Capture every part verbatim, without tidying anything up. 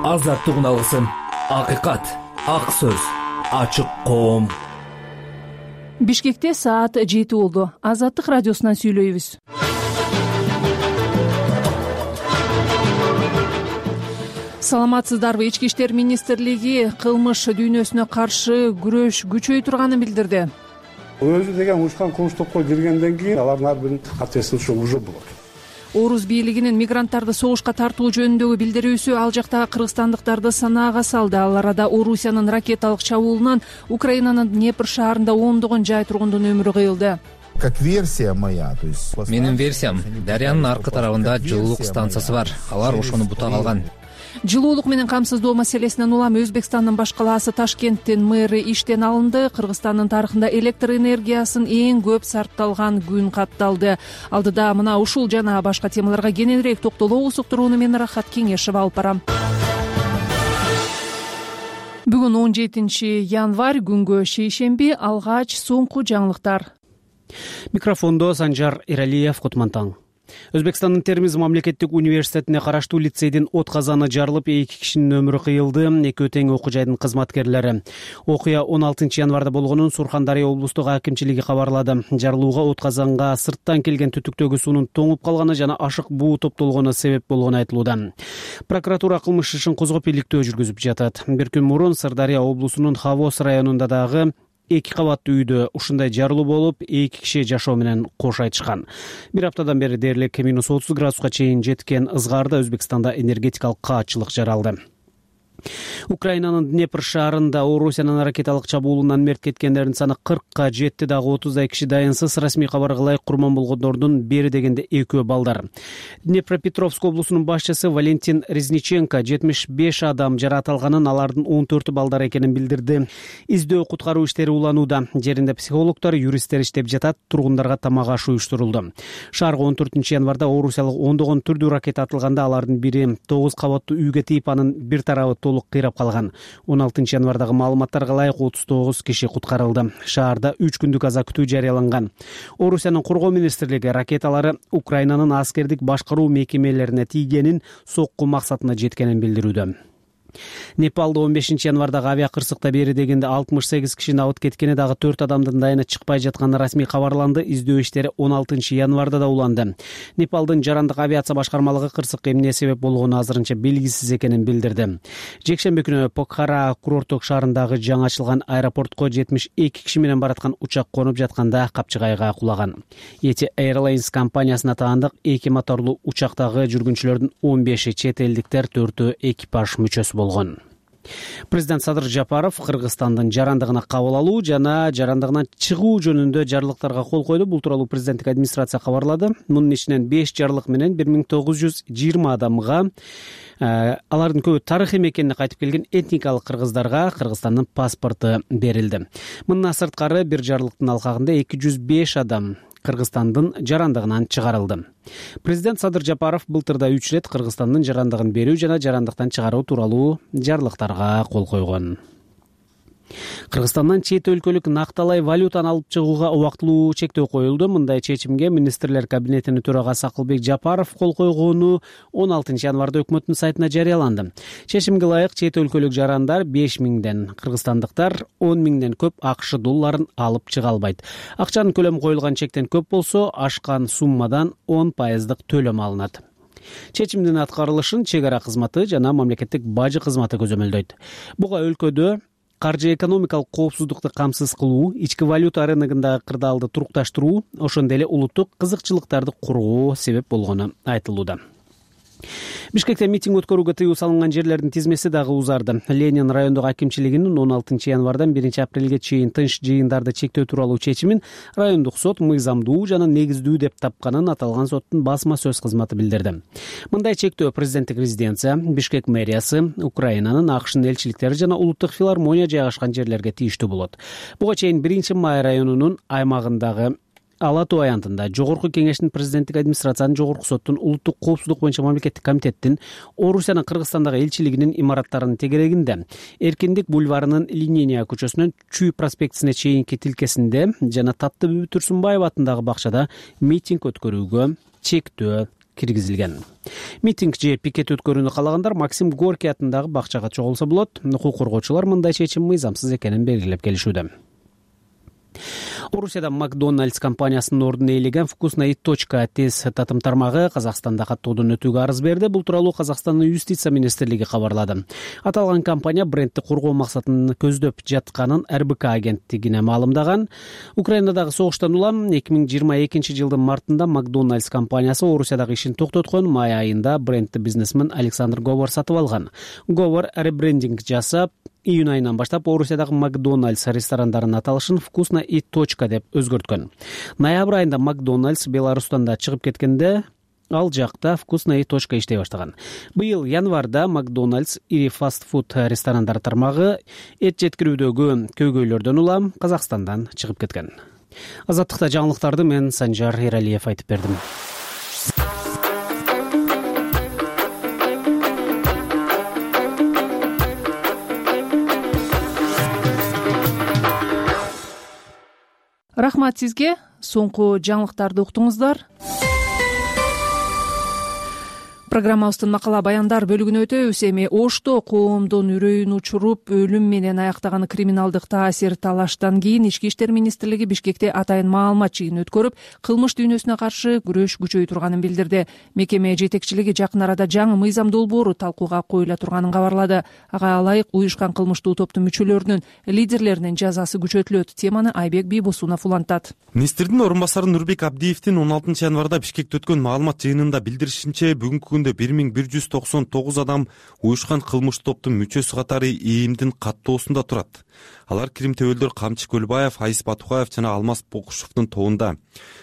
азаттык алгысым, акыйкат, ак сөз, ачык коом. Бишкекте саат жети болду. Азаттык радиосунан сүйлөйбүз. Саламатсыздарбы? Ички иштер министрлиги кылмыш дүйнөсүнө каршы күрөш күчөй турганын билдирди. Өзү деген уюшкан кылмыш топко киргенден кийин алардын ар биринин ответственности уже болот. Орус бийлигинин мигранттарды согушка тартуу жөнүндөгү билдирүүсү ал жактагы кыргызстандыктарды санаага салды. Ал арада Орусиянын ракеталык чабуулунан Украинанын Днепр шаарында ондогон жай тургундун өмүрү кыйылды. Как версия моя, то есть менин версиям, дарыянын аркы тарабында жылуулук станциясы бар. Алар ошону бута калган. Жылуулук менен камсыздоо маселесинен улам Өзбекстандын баш калаасы Ташкенттин мэри иштен алынды. Кыргызстандын тарыхында электр энергиясын эң көп сарпталган күн катталды. Алдыда мына ушул жана башка темаларга кененирээк токтолобуз. Уктурууну мен Рахат Кеңешева алып барам. Бүгүн он жетинчи январь, күнгө шейшемби. Алгач соңку жаңылыктар. Микрофондо Санжар Иралиев, Кутмантаң. Өзбекстандын Термиз мамлекеттик университетине караштуу лицейдин от казаны жарылып, эки кишинин өмүрү кыйылды. Экөө тең окуу жайдын кызматкерлери. Окуя он алтынчы январда болгонун Сурхандария облустук акимчилиги кабарлады. Жарылууга от казанга сырттан келген түтүктөгү суунун тоңуп калганы жана ашык буу топтолгону себеп болгону айтылууда. Прокуратура кылмыш ишин козгоп иликтөө жүргүзүп жатат. Бир күн мурун Сырдария облусунун Хавос районунда дагы эки кабаттуу үйдө ушундай жарылуу болуп, эки киши жашоо менен кош айтышкан. Бир аптадан бери дээрлик минус отуз градуска чейин жеткен ызгаарда Өзбекстанда энергетикалык каатчылык жаралды. Украинанын Днепр шаарында Орусиянын ракеталык чабуулунан мерт кеткендердин саны кыркка жетти. Дагы отуздай киши дайынсыз. Расмий кабарга ылайык курман болгондордун бери дегенде экөө балдар. Днепропетровск облусунун башчысы Валентин Резниченко жетимиш беш адам жаратылганын, алардын он төртү балдар экенин билдирди. Издөө куткаруу иштери уланууда. Жеринде психологдор, юристтер иштеп жатат. Тургундарга тамак аш уюштурулду. Шаарга он төртүнчү январда Орусиялык ондогон түрдүү ракета атылганда, алардын бири тогуз кабаттуу үйгө тийип, анын бир тарабы толук кыйрап калган. он алтынчы январдагы маалыматтарга ылайык отуз тогуз киши куткарылды. Шаарда үч күндүк аза күтүү жарыяланган. Орусиянын коргоо министрлиги ракеталары Украинанын аскердик башкаруу мекемелерине тийгенин, сокку максатына жеткенин билдирүүдө. Непалда он бешинчи январдагы авиа кырсыкта бери дегенде алтымыш сегиз кишини алып кеткени, дагы төрт адамдын дайыны чыкпай жатканы расмий кабарланды. Издөө иштери он алтынчы январда да уланды. Непалдын жарандык авиация башкармалыгы кырсыкка эмне себеп болгону азырынча белгисиз экенин билдирди. Жекшемби күнү Покхара курорттук шаарындагы жаңы ачылган аэропортко жетимиш эки киши менен бараткан учак конуп жатканда капчыгайга кулаган. Yeti Airlines компаниясына таандык эки моторлуу учактагы жүргүнчүлөрдүн он беши чет элдиктер, төртөө экипаж мүчөсү болгон. Президент Садыр Жапаров Кыргызстандын жарандыгына кабыл алуу жана жарандыгынан чыгуу жөнүндө жарлыктарга кол койду. Бул тууралуу президенттик администрация кабарлады. Мунун ичинен беш жарлык менен бир миң тогуз жүз жыйырма адамга, алардын көбү тарыхый мекенине кайтып келген этникалык кыргыздарга Кыргызстандын паспорту берилди. Мындан сырткары бир жарлыктын алкагында эки жүз беш адам Кыргызстандын жарандыгынан чыгарылды. Президент Садыр Жапаров былтырда үч рет Кыргызстандын жарандыгын берүү жана жарандыктан чыгаруу тууралуу жарлыктарга кол койгон. Кыргызстандан чет өлкөлүк накталай валютаны алып чыгууга убактылуу чектөө коюлду. Мындай чечимге министрлер кабинетинин төрагасы Акылбек Жапаров кол койгону он алтынчы январда өкмөттүн сайтына жарыяланды. Чечимге ылайык чет өлкөлүк жарандар беш миңден, кыргызстандыктар он миңден көп АКШ долларын алып чыга албайт. Акчанын көлөмү коюлган чектен көп болсо, ашкан суммадан он пайыздык төлөм алынат. Чечимдин аткарылышын чек ара кызматы жана мамлекеттик бажы кызматы көзөмөлдөйт. Буга өлкөдө каржы экономикалык коопсуздукту камсыз кылуу, ички валюта рыногундагы кырдаалды турукташтыруу, ошондой эле улуттук кызыкчылыктарды куруу себеп болгону айтылууда. Бишкекте митинг өткөрүүгө тыюу салынган жерлердин тизмеси дагы узарды. Ленин райондук акимчилигинин он алтынчы январдан биринчи апрелге чейин тынч жыйындарды чектөө тууралуу чечимин райондук сот мыйзамдуу жана негиздүү деп тапканын аталган соттун басма сөз кызматы билдирди. Мындай чектөө президенттик резиденция, Бишкек мэриясы, Украинанын, АКШнын элчиликтери жана улуттук филармония жайгашкан жерлерге тийиштүү болот. Буга чейин биринчи май районунун аймагындагы Ала Тоо аянтында Жогорку Кеңештин президенттик администрациянын, Жогорку соттун, улуттук коопсуздук боюнча мамлекеттик комитеттин, Орусиянын Кыргызстандагы элчилигинин имараттарынын тегерегинде, Эркиндик бульварынын Линейная көчөсүнөн Чүй проспектисине чейинки тилкесинде жана Таттыбүбү Турсунбаева атындагы бакчада митинг өткөрүүгө чектөө киргизилген. Митинг же пикет өткөрүүнү каалагандар Максим Горький атындагы бакчага чогулса болот. Укук коргоочулар мындай чечим мыйзамсыз экенин белгилеп келишүүдө. Орусияда Макдональдс компаниясынын ордун ээлеген «Вкусная точка» тез татым тармагы Казакстанда каттоодон өтүүгө арыз берди. Бул тууралуу Казакстандын юстиция министрлиги кабарлады. Аталган компания брендти коргоо максатын көздөп жатканын эр бэ ка агенттигине маалымдаган. Украинадагы согуштан улам эки миң жыйырма экинчи жылдын мартында Макдональдс компаниясы Орусиядагы ишин токтоткон. Май айында брендти бизнесмен Александр Говор сатып алган. Говор ребрендинг жасап, июнь айынан баштап Орусиядагы Макдональдс ресторандарынын аталышын «Вкусная точка» деп өзгөрткөн. Ноябрь айында Макдональдс Беларустан да чыгып кеткенде ал жакта «Вкусная точка» иштей баштаган. Быйыл январда Макдональдс ири фастфуд ресторандары тармагы эт жеткирүүдөгү көйгөйлөрдөн улам Казакстандан чыгып кеткен. Азаттыкта жаңылыктарды мен Санжар Эралиев айтып бердим. Рахмат сизге. Соңку жаңылыктарды уктуңуздар. Программабыздын макала баяндар бөлүгүнө өтөбүз. Эми Ошто коомдун үрөйүн учуруп, өлүм менен аяктаган криминалдык таасир талаштан кийин Ички иштер министрлиги Бишкекте атайын маалымат жыйыны өткөрүп, кылмыш дүйнөсүнө каршы күрөш күчөй турганын билдирди. Мекеме жетекчилиги жакын арада жаңы мыйзам долбоору талкууга коюла турганын кабарлады. Ага ылайык уюшкан кылмыштуу топтун мүчөлөрүнүн, лидерлеринин жазасы күчөтүлөт. Теманы Айбек Бийбосунов улантат. Министрдин орун басары Нурбек Абдиевдин он алтынчы январда Бишкекте өткөн маалымат жыйынында билдиришинче, бүгүнкү бир миң бир жүз токсон тогуз адам уюшкан кылмыштуу топтун мүчөсү катары ИИМдин каттоосунда турат. Алар Крим Төбөлдөр, Камчы Көлбаев, Айс Батукаев жана Алмаз Бокушевдун тобунда.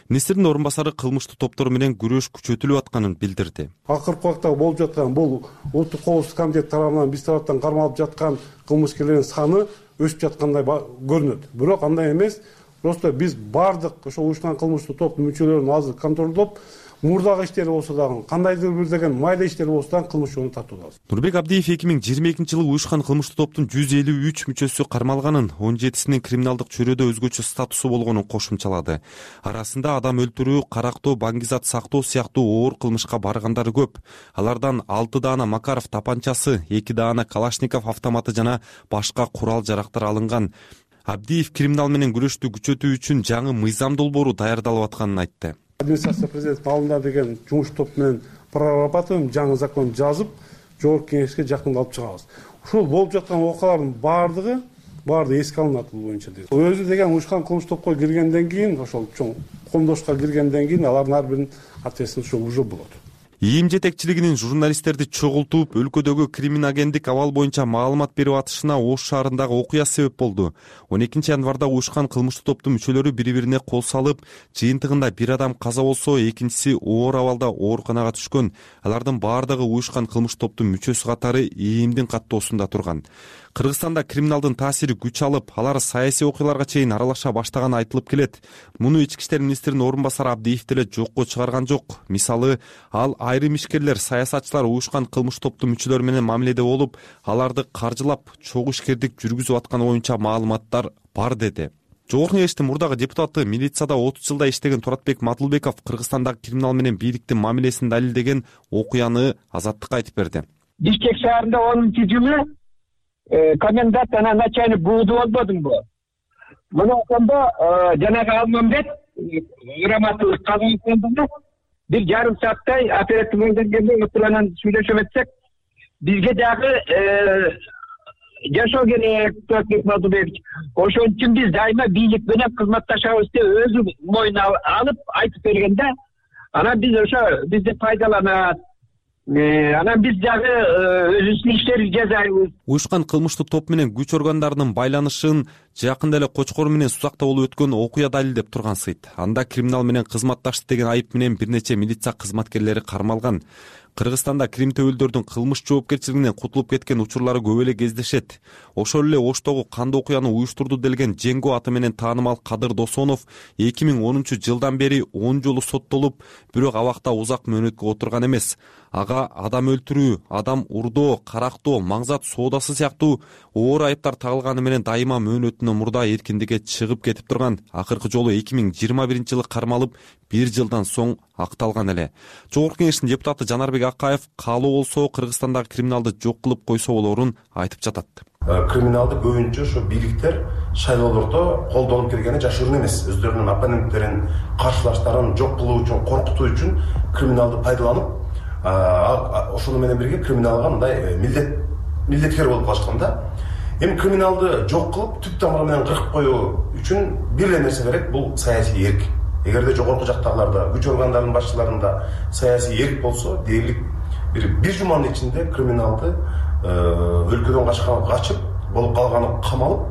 Министрдин орун басары кылмыштуу топтор менен күрөш күчөтүлүп атканын билдирди. Акыркы убакта болуп жаткан бул Улуттук коопсуздук комитети тарабынан биз тараптан кармалып жаткан кылмышкерлердин саны өсүп жаткандай көрүнөт. Бирок андай эмес. Просто биз бардык ошо уюшкан кылмыштуу топтун мүчөлөрүн азыр контролдоп, мурдагы иштери болсо дагы, кандайдыр бир деген майда иштери болсо дагы кылмыш жолуна тартуудабыз. Нурбек Абдиев эки миң жыйырма экинчи жылы уюшкан кылмыштуу топтун жүз элүү үч мүчөсү кармалганын, он жетисинин криминалдык чөйрөдө өзгөчө статусу болгонун кошумчалады. Арасында адам өлтүрүү, карактоо, баңгизат сактоо сыяктуу оор кылмышка баргандары көп. Алардан алты даана Макаров тапанчасы, эки даана Калашников автоматы жана башка курал жарактар алынган. Абдиев криминал менен күрөштү күчөтүү үчүн жаңы мыйзам долбоору даярдалып атканын айтты. Администрация президенттин алдында деген жумуш топ менен прорабатываем, жаңы закон жазып, жогорку кеңешке жакында алып чыгабыз. Ушул болуп жаткан окуялардын баардыгы баардыгы эске алынат бул боюнча дейт. Өзү деген уюшкан кылмыш топко киргенден кийин, ошол чоң коомдошко киргенден кийин алардын ар биринин ответственности уже болот. ИИМ жетекчилигинин журналисттерди чогултуп, өлкөдөгү криминогендик абал боюнча маалымат берип атышына Ош шаарындагы окуя себеп болду. он экинчи январда уюшкан кылмыштуу топтун мүчөлөрү бири-бирине кол салып, жыйынтыгында бир адам каза болсо, экинчиси оор абалда ооруканага түшкөн. Алардын баардыгы уюшкан кылмыштуу топтун мүчөсү катары ИИМдин каттоосунда турган. Кыргызстанда криминалдын таасири күч алып, алар саясий окуяларга чейин аралаша баштаганы айтылып келет. Муну Ички иштер министринин орун басары Абдиев деле жокко чыгарган жок. Мисалы, ал айрым ишкерлер, саясатчылар уюшкан кылмыш топтун мүчөлөрү менен мамиледе болуп, аларды каржылап, чогуу ишкердик жүргүзүп атканы боюнча маалыматтар бар деди. Жогорку кеңештин мурдагы депутаты, милицияда отуз жылда иштеген Туратбек Матылбеков Кыргызстандагы криминал менен бийликтин мамилесин далилдеген окуяны Азаттыкка айтып берди. Бишкек шаарында онунчу жылы комендант анан начальник бууду болбодумбу? Мына ошондо жанагы Алмамбет Раматов Казакстанда бир жарым сааттай оператив мыйзамгерлер отуранан сүйлөшүп атсак, бизге дагы жашоо керек, Туратбек Матылбекович. Ошон үчүн биз дайыма бийлик менен кызматташабыз деп өзү мойнуна алып айтып бергенде, анан биз ошо бизди пайдаланат. Анан биз дагы өзүбүздүн иштерди жасайбыз. Уюшкан кылмыштуу топ менен күч органдарынын байланышын жакында эле Кочкор менен Сузакта болуп өткөн окуя далилдеп турган сыйт. Анда криминал менен кызматташты деген айып менен бир нече милиция кызматкерлери кармалган. Кыргызстанда Крим төбөлдөрдүн кылмыш жоопкерчилигинен кутулуп кеткен учурлары көп эле кездешет. Ошол эле Оштогу кандуу окуяны уюштурду делген Женго аты менен таанымал Кадыр Досонов эки миң онунчу жылдан бери он жолу соттолуп, бирок абакта узак мөөнөткө отурган эмес. Ага адам өлтүрүү, адам урдоо, карактоо, маңзат соодасы сыяктуу оор айыптар тагылганы менен дайыма мөөнөтүнөн мурда эркиндикке чыгып кетип турган. Акыркы жолу эки миң жыйырма биринчи жылы кармалып, бир жылдан соң акталган эле. Жогорку Кеңештин депутаты Жанарбек Акаев каалоо болсо Кыргызстандагы криминалды жок кылып койсо болорун айтып жатат. Криминалды көбүнчө ошо бийликтер шайлоолордо колдонуп келгени жашыруун эмес. Өздөрүнүн оппоненттерин, каршылаштарын жок кылуу үчүн, коркутуу үчүн криминалды пайдаланып, ошону менен бирге криминалга мындай милдет милдеткер болуп калышкан да. Эми криминалды жок кылып, түп тамыры менен кыркып коюу үчүн бир эле нерсе керек, бул саясий эрк. Эгерде жогорку жактагыларда, күч органдарынын башчыларында саясий эрк болсо, дээрлик бир бир жуманын ичинде криминалды өлкөдөн качкан, качып, болуп калганы камалып,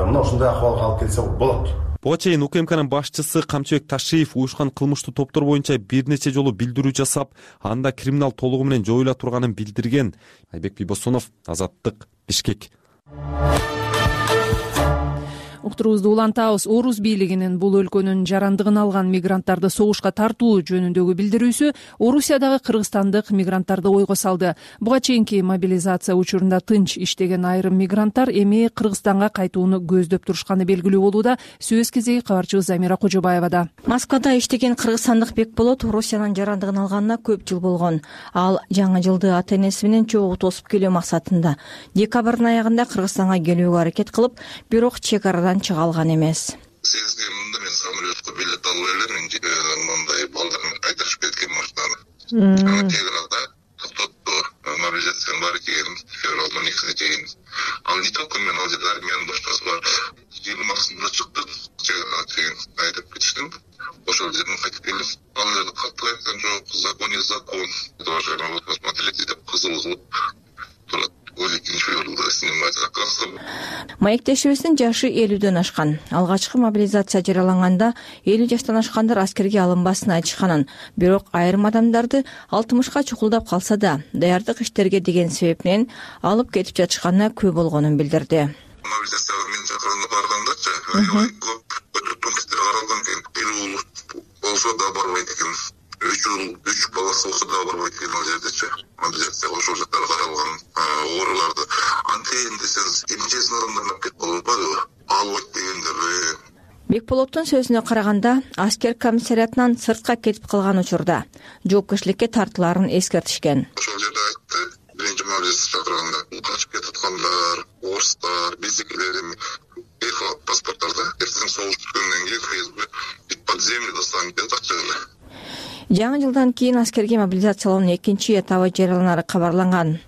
мына ушундай акыбалга алып келсе болот. Буга чейин УКМКнын башчысы Камчыбек Ташиев уюшкан кылмыштуу топтор боюнча бир нече жолу билдирүү жасап, анда криминал толугу менен жоюла турганын билдирген. Айбек Бибосонов, Азаттык, Бишкек. Уктуруубузду улантабыз. Орус бийлигинин бул өлкөнүн жарандыгын алган мигранттарды согушка тартуу жөнүндөгү билдирүүсү Орусиядагы кыргызстандык мигранттарды ойго салды. Буга чейинки мобилизация учурунда тынч иштеген айрым мигранттар эми Кыргызстанга кайтууну көздөп турушканы белгилүү болууда. Сөз кезеги кабарчыбыз Замира Кожобаевада. Москвада иштеген кыргызстандык Бекболот Орусиянын жарандыгын алганына көп жыл болгон. Ал жаңы жылды ата энеси менен чогуу тосуп келүү максатында декабрдын аягында Кыргызстанга келүүгө аракет кылып, бирок чек арадан чыга алган эмес. Сегизге мында мен самолетко билет алып элем, мындай балдарын кайтарышып кеткен машинаны. Чек арада токтотту, мобилизациянын баары келген февралдын он экисине чейин. Ал не только мен, ал жерде армиянын башкасы бар. жыйырмасында чыктык, чек арада чейин айтып кетиштим. Ошол жерден кайтып келдим. Ал жерде катуу айткан жок, закон не закон. Уважаемый, вот посмотрите, деп кызыл кылып турат. Маектешибиздин жашы элүүдөн ашкан. Алгачкы мобилизация жарыяланганда элүү жаштан ашкандар аскерге алынбасын айтышканын, бирок айрым адамдарды алтымышка чукулдап калса да, даярдык иштерге деген себеп менен алып кетип жатышканына күбө болгонун билдирди. Мобилизацияга мен чакырганда баргандачы, көп пункттер каралган экен. Бир болсо да барбайт экен. Үч жыл, үч баласы болсо да барбайт экен ал жердечи. Мобилизацияга ошол жактар каралган ооруларды. Антейин десеңиз, эмчесин адамдар кетип калбайбы? Албайт дегендер. Бекболоттун сөзүнө караганда, аскер комиссариятынан сыртка кетип калган учурда жоопкерчиликке тартыларын эскертишкен. Ошол жерде айтты, биринчи мобилизация чакырганда качып кетаткандар, орустар, биздикилер эми паспорттарда эртең согуш түшкөндөн кийин ФСБ под землю достанет деп атчыгы. Жаңы жылдан кийин аскерге мобилизациялоонун экинчи этабы жарыяланары кабарланган.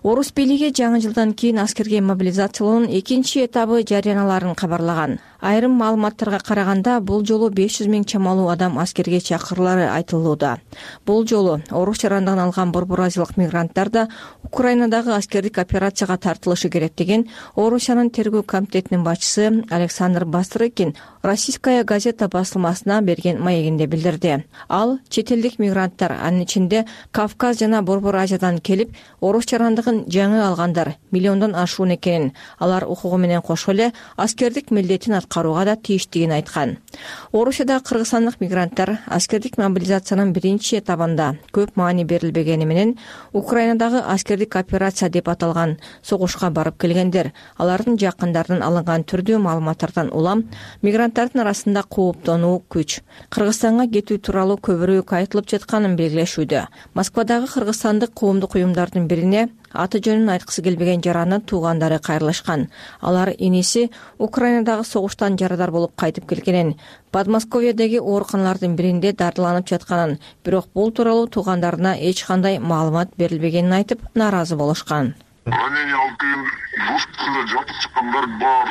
Орус бийлиги жаңы жылдан кийин аскерге мобилизациялоонун экинчи этабы жарыяналарын кабарлаган. Айрым маалыматтарга караганда, бул жолу беш жүз миң чамалуу адам аскерге чакырылары айтылууда. Бул жолу орус жарандыгын алган борбор азиялык мигранттар да Украинадагы аскердик операцияга тартылышы керек деген Орусиянын тергөө комитетинин башчысы Александр Бастрыкин Российская газета басылмасына берген маегинде билдирди. Ал чет элдик мигранттар, анын ичинде Кавказ жана Борбор Азиядан келип, орус жарандыгын жаңы алгандар миллиондон ашуун экенин, алар укугу менен кошо эле аскердик милдетин аткарууга да тийиштигин айткан. Орусияда кыргызстандык мигранттар аскердик мобилизациянын биринчи этабында көп маани берилбегени менен Украинадагы аскердик операция деп аталган согушка барып келгендер, алардын жакындарынан алынган түрдүү маалыматтардан улам мигранттардын арасында кооптонуу күч Кыргызстанга кетүү тууралуу көбүрөөк айтылып жатканын белгилешүүдө. Москвадагы кыргызстандык коомдук уюмдардын бирине аты жөнүн айткысы келбеген жаранын туугандары кайрылышкан. Алар иниси Украинадагы согуштан жарадар болуп кайтып келгенин, Подмосковьедеги ооруканалардын биринде дардыланып жатканын, бирок бул тууралуу туугандарына эч кандай маалымат берилбегенин айтып, нааразы болушкан. Ранение алып келген госпиталда жатып чыккандар бар.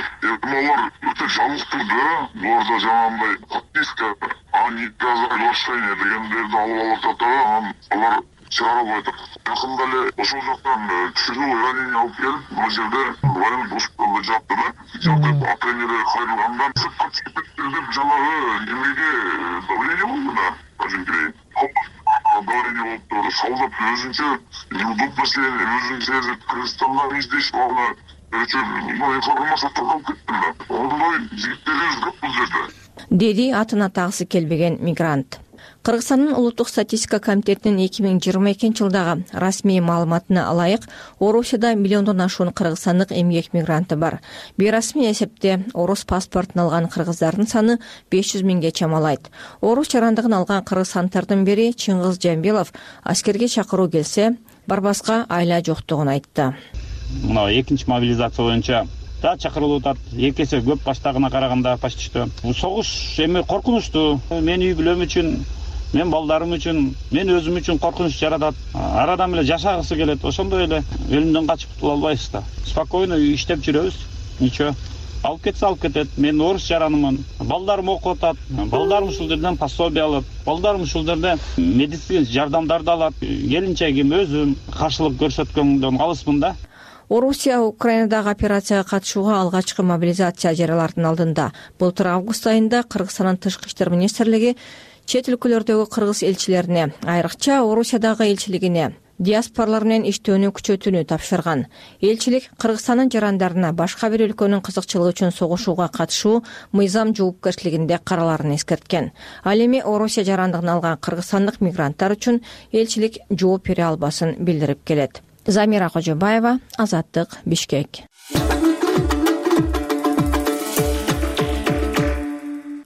Алар өтө жалыктуу да, буларда жанагындай подписка, а не приглашение дегендерди алып алып жатат, алар чыгарып атат. Жакында эле ошол жактан тирүү ранение алып келип, бул жерде военный госпиталда жатты да. Жатып, ата-энелер кайрылгандан сыртка чыгып кетти деп жанагы эмеге давление болду да. Ажинкирей. обговорение болуп турду. Шолдоп өзүнчө бул маселени өзүн сезип Кыргызстандан издешип алып информация таркалып кетти да. Ондой жигиттерибиз көп бул жерде, деди атын атагысы келбеген мигрант. Кыргызстандын улуттук статистика комитетинин эки миң жыйырма экинчи жылдагы расмий маалыматына ылайык, Орусияда миллиондон ашуун кыргызстандык эмгек мигранты бар. Бейрасмий эсепте орус паспортун алган кыргыздардын саны беш жүз миңге чамалайт. Орус жарандыгын алган кыргызстандардын бири Чыңгыз Жамбилов аскерге чакыруу келсе, барбаска айла жоктугун айтты. Мына экинчи мобилизация боюнча да чакырылып атат. Эки эсе көп баштагына караганда почти. Бул согуш эми коркунучтуу. Мен үй бүлөм үчүн, мен балдарым үчүн, мен өзүм үчүн коркунуч жаратат. Арадан эле жашагысы келет. Ошондой эле өлүмдөн качып кутула албайбыз да. Спокойно иштеп жүрөбүз. Ничего. Алып кетсе алып кетет. Мен орус жаранымын. Балдарым окуп атат. Балдарым ушул жерден пособие алат. Балдарым ушул жерден медицина жардамдарды алат. Келинчегим өзүм каршылык көрсөткөндөн алыспын да. Орусия Украинадагы операцияга катышууга алгачкы мобилизация жарыялардын алдында былтыр август айында Кыргызстандын тышкы иштер министрлиги чет өлкөлөрдөгү кыргыз элчилерине, айрыкча Орусиядагы элчилигине диаспоралар менен иштөөнү күчөтүүнү тапшырган. Элчилик Кыргызстандын жарандарына башка бир өлкөнүн кызыкчылыгы үчүн согушууга катышуу мыйзам жоопкерчилигинде караларын эскерткен. Ал эми Орусия жарандыгын алган кыргызстандык мигранттар үчүн элчилик жооп бере албасын билдирип келет. Замира Кожобаева, Азаттык, Бишкек.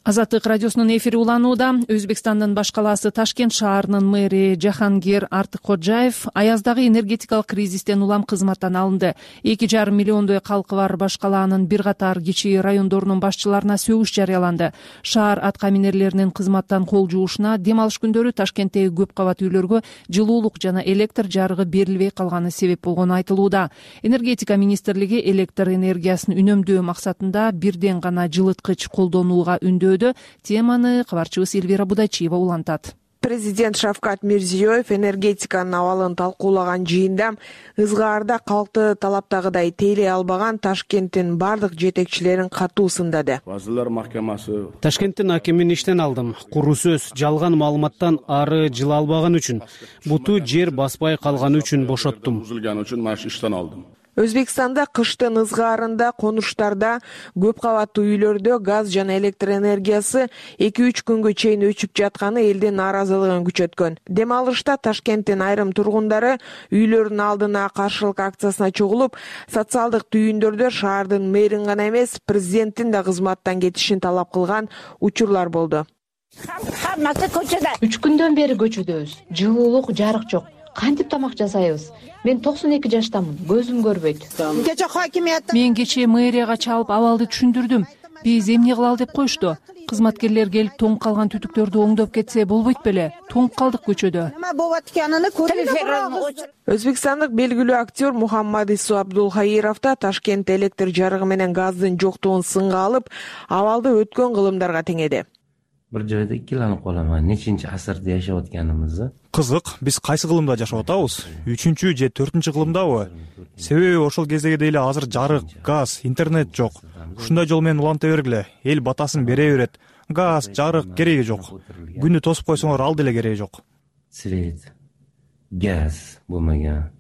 Азаттык радиосунун эфири уланууда. Өзбекстандын баш калаасы Ташкент шаарынын мэри Жахангир Артыккожаев аяздагы энергетикалык кризистен улам кызматтан алынды. эки жарым миллиондой калкы бар баш калаанын бир катар кичи райондорунун башчыларына сөгүш жарыяланды. Шаар атка минерлеринин кызматтан кол жуушуна, дем алыш күндөрү Ташкенттеги көп кабат үйлөргө жылуулук жана электр жарыгы берилбей калганы себеп болгону айтылууда. Энергетика министрлиги электр энергиясын үнөмдөө максатында бирден гана жылыткыч колдонууга үндөө. Теманы кабарчыбыз Эльвира Будачиева улантат. Президент Шавкат Мирзиёев энергетиканын абалын талкуулаган жыйында ызгаарда калкты талаптагыдай тейлей албаган Ташкенттин бардык жетекчилерин катуу сындады. Вазырлар Махкамасы Ташкенттин акимин иштен алдым. Куру сөз, жалган маалыматтан ары жыла албаган үчүн, буту жер баспай калганы үчүн бошоттум. Бузулган үчүн маш иштен алдым. Өзбекстанда кыштын ызгаарында конуштарда көп кабаттуу үйлөрдө газ жана электр энергиясы эки үч күнгө чейин өчүп жатканы элдин нааразылыгын күчөткөн. Дем алышта Ташкенттин айрым тургундары үйлөрүнүн алдына каршылык акциясына чогулуп, социалдык түйүндөрдө шаардын мэрин гана эмес, президенттин да кызматтан кетишин талап кылган учурлар болду. Үч күндөн бери көчөдөбүз. Жылуулук, жарык жок. Кантип тамак жасайбыз? Мен токсон эки жаштамын, көзүм көрбөйт. Мен кечээ мэрияга чалып абалды түшүндүрдүм. Биз эмне кылалы деп коюшту. Кызматкерлер келип тоңуп калган түтүктөрдү оңдоп кетсе болбойт беле? Тоңуп калдык көчөдө. Өзбекстандык белгилүү актер Мухаммадису Абдулхаиров да Ташкент электр жарыгы менен газдын жоктугун сынга алып, абалды өткөн кылымдарга теңеди. Бир жайда икиленип калам, нечинчи асырда жашап атканыбызды. Кызык, биз кайсы кылымда жашап атабыз? үчүнчү же төртүнчү кылымдабы? Себеби ошол кездеги эле азыр жарык, газ, интернет жок. Ушундай жол менен уланта бергиле, эл батасын бере берет. Газ, жарык кереги жок. Күнү тосуп койсоңор ал деле кереги жок. Свет, газ болмаган.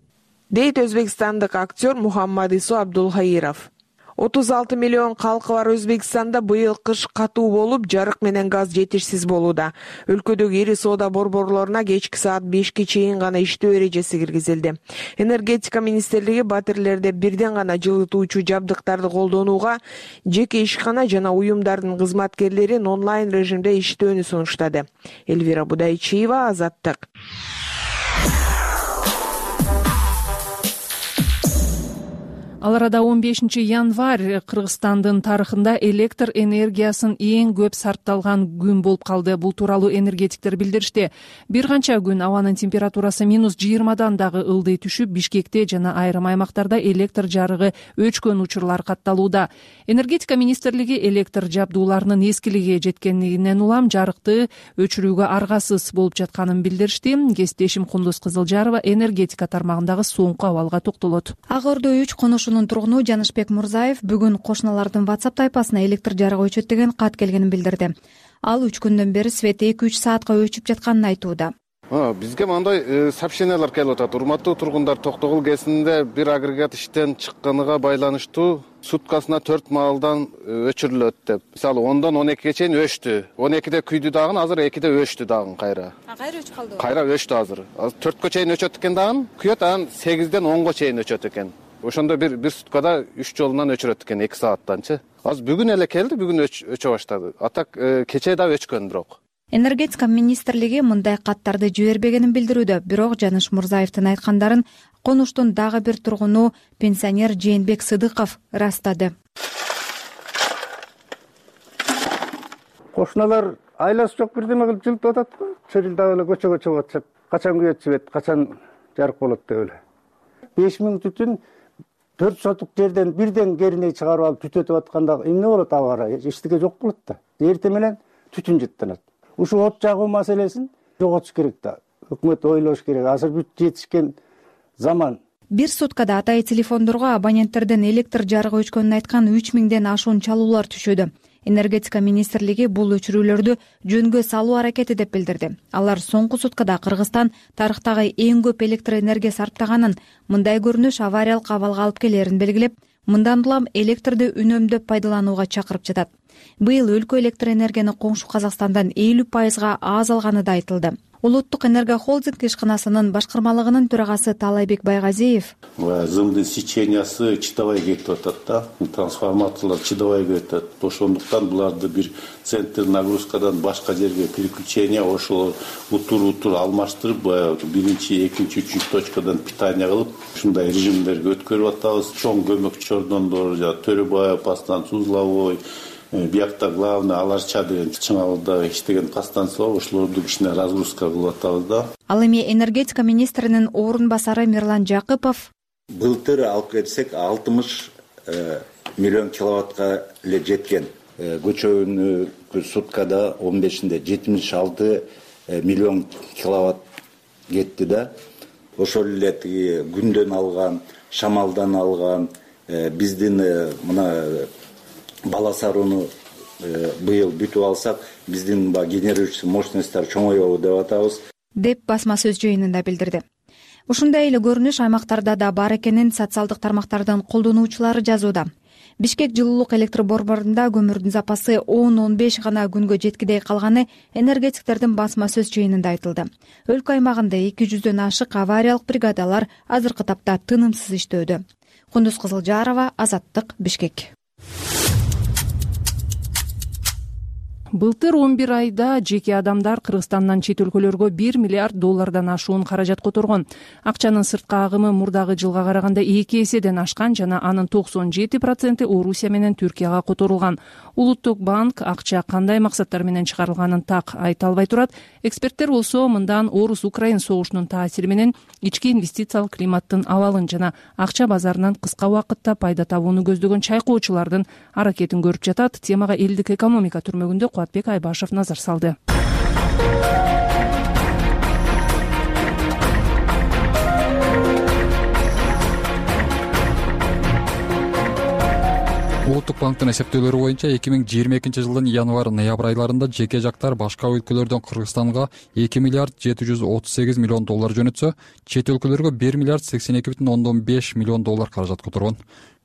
Дейт өзбекстандык актер Мухаммадису Абдулхаиров. отуз алты миллион калкы бар Өзбекстанда быйыл кыш катуу болуп, жарык менен газ жетишсиз болууда. Өлкөдөгү ири соода борборлоруна кечки саат бешке чейин гана иштөө эрежеси киргизилди. Энергетика министрлиги батирлерде бирден гана жылытуучу жабдыктарды колдонууга, жеке ишкана жана уюмдардын кызматкерлерин онлайн режимде иштөөнү сунуштады. Эльвира Будайчиева, Азаттык. Ал арада он бешинчи январь Кыргызстандын тарыхында электр энергиясын эң көп сарпталган күн болуп калды. Бул тууралуу энергетиктер билдиришти. Бир канча күн абанын температурасы минус жыйырмадан дагы ылдый түшүп, Бишкекте жана айрым аймактарда электр жарыгы өчкөн учурлар катталууда. Энергетика министрлиги электр жабдууларынын эскилиги жеткенинен улам жарыкты өчүрүүгө аргасыз болуп жатканын билдиришти. Кесиптешим Кундуз Кызылжарова энергетика тармагындагы соңку абалга токтолот. Ак Ордо үч конушунун тургуну Жанышбек Мурзаев бүгүн кошуналардын WhatsApp тайпасына электр жарыгы өчөт деген кат келгенин билдирди. Ал үч күндөн бери свет эки үч саатка өчүп жатканын айтууда. Бизге мындай сообщениялар келип атат. Урматтуу тургундар, Токтогул КЭСинде бир агрегат иштен чыкканына байланыштуу суткасына төрт маалдан өчүрүлөт деп. Мисалы ондон он экиге чейин өчтү. он экиде күйдү дагы, азыр экиде өчтү дагы кайра. А кайра өчүп калды? Кайра өчтү азыр. Азыр төрткө чейин өчөт экен дагы, күйөт анан сегизден онго чейин өчөт экен. Ошондо бир бир суткада үч жолунан өчүрөт экен, эки сааттанчы. Азыр бүгүн эле келди, бүгүн өчө баштады. Атак кечээ да өчкөн бирок. Энергетика министрлиги мындай каттарды жибербегенин билдирүүдө, бирок Жаныш Мурзаевдин айткандарын конуштун дагы бир тургуну пенсионер Жээнбек Сыдыков ырастады. Кошуналар айласы жок бирдеме кылып жылтып атат го. Чырылдап эле көчөгө чыгып атышат. Качан күйөт жибет, качан жарык болот деп эле. беш миң түтүн төрт сотук жерден бирден кериней чыгарып алып түтөтүп атканда эмне болот ага карай? Эчтеке жок болот да. Эртең менен түтүн жыттанат. Ушу от жагуу маселесин жоготуш керек да. Өкмөт ойлош керек. Азыр бүт жетишкен заман. Бир суткада атайы телефондорго абоненттерден электр жарыгы өчкөнүн айткан үч миңден ашуун чалуулар түшүүдө. Энергетика министрлиги бул өчүрүүлөрдү жөнгө салуу аракети деп билдирди. Алар соңку суткада Кыргызстан тарыхтагы эң көп электр энергия сарптаганын, мындай көрүнүш авариялык абалга алып келерин белгилеп, мындан улам электрди үнөмдөп пайдаланууга чакырып жатат. Быйыл өлкө электр энергияны коңшу Казакстандан элүү пайызга аз алганы да айтылды. Улуттук энергохолдинг ишканасынын башкармалыгынын төрагасы Таалайбек Байгазиев: Зымдын сечениясы чыдабай кетип атат да, трансформаторлор чыдабай кетип атат. Ошондуктан буларды бир центр нагрузкадан башка жерге переключение, ошол утур-утур алмаштырып, биринчи, экинчи, үчүнчү точкадан питание кылып, ушундай режимдерге өткөрүп атабыз. Чоң көмөк чордондор, Төрөбаев, Пастан, Сузловой, биякта главный Аларча деген чыңалда иштеген подстанция бар, ошолорду кичине разгрузка кылып атабыз да. Ал эми энергетика министринин орун басары Мирлан Жакыпов: Былтыр алып келсек алтымыш миллион киловаттка эле жеткен. Көчөгүнү суткада он бешинде жетимиш алты миллион киловатт кетти да. Ошол эле тиги күндөн алган, шамалдан алган, биздин мына бала сарууну быйыл бүтүп алсак, биздин генерирующий мощностьтар чоңоёбу деп атабыз, деп басма сөз жыйынында билдирди. Ушундай эле көрүнүш аймактарда да бар экенин социалдык тармактардын колдонуучулары жазууда. Бишкек жылуулук электр борборунда көмүрдүн запасы он он беш гана күнгө жеткидей калганы энергетиктердин басма сөз жыйынында айтылды. Өлкө аймагында эки жүздөн ашык авариялык бригадалар азыркы тапта тынымсыз иштөөдө. Кундуз Кызылжарова, Азаттык, Бишкек. Былтыр он бир айда жеке адамдар Кыргызстандан чет өлкөлөргө бир миллиард доллардан ашуун каражат которгон. Акчанын сыртка агымы мурдагы жылга караганда эки эседен ашкан жана анын токсон жети проценти Орусия менен Түркияга которулган. Улуттук банк акча кандай максаттар менен чыгарылганын так айта албай турат. Эксперттер болсо мындан Орус-Украин согушунун таасири менен ички инвестициялык климаттын абалын жана акча базарынан кыска убакытта пайда табууну көздөгөн чайкоочулардын аракетин көрүп жатат. Темага элдик экономика түрмөгүндө Кубатбек Айбашев назар салды. Улуттук банктын эсептөөлөрү боюнча эки миң жыйырма экинчи жылдын январь-ноябрь айларында жеке жактар башка өлкөлөрдөн Кыргызстанга эки миллиард жети жүз отуз сегиз миллион доллар жөнөтсө, чет өлкөлөргө бир миллиард сексен эки бүтүн ондон беш миллион доллар каражат которгон.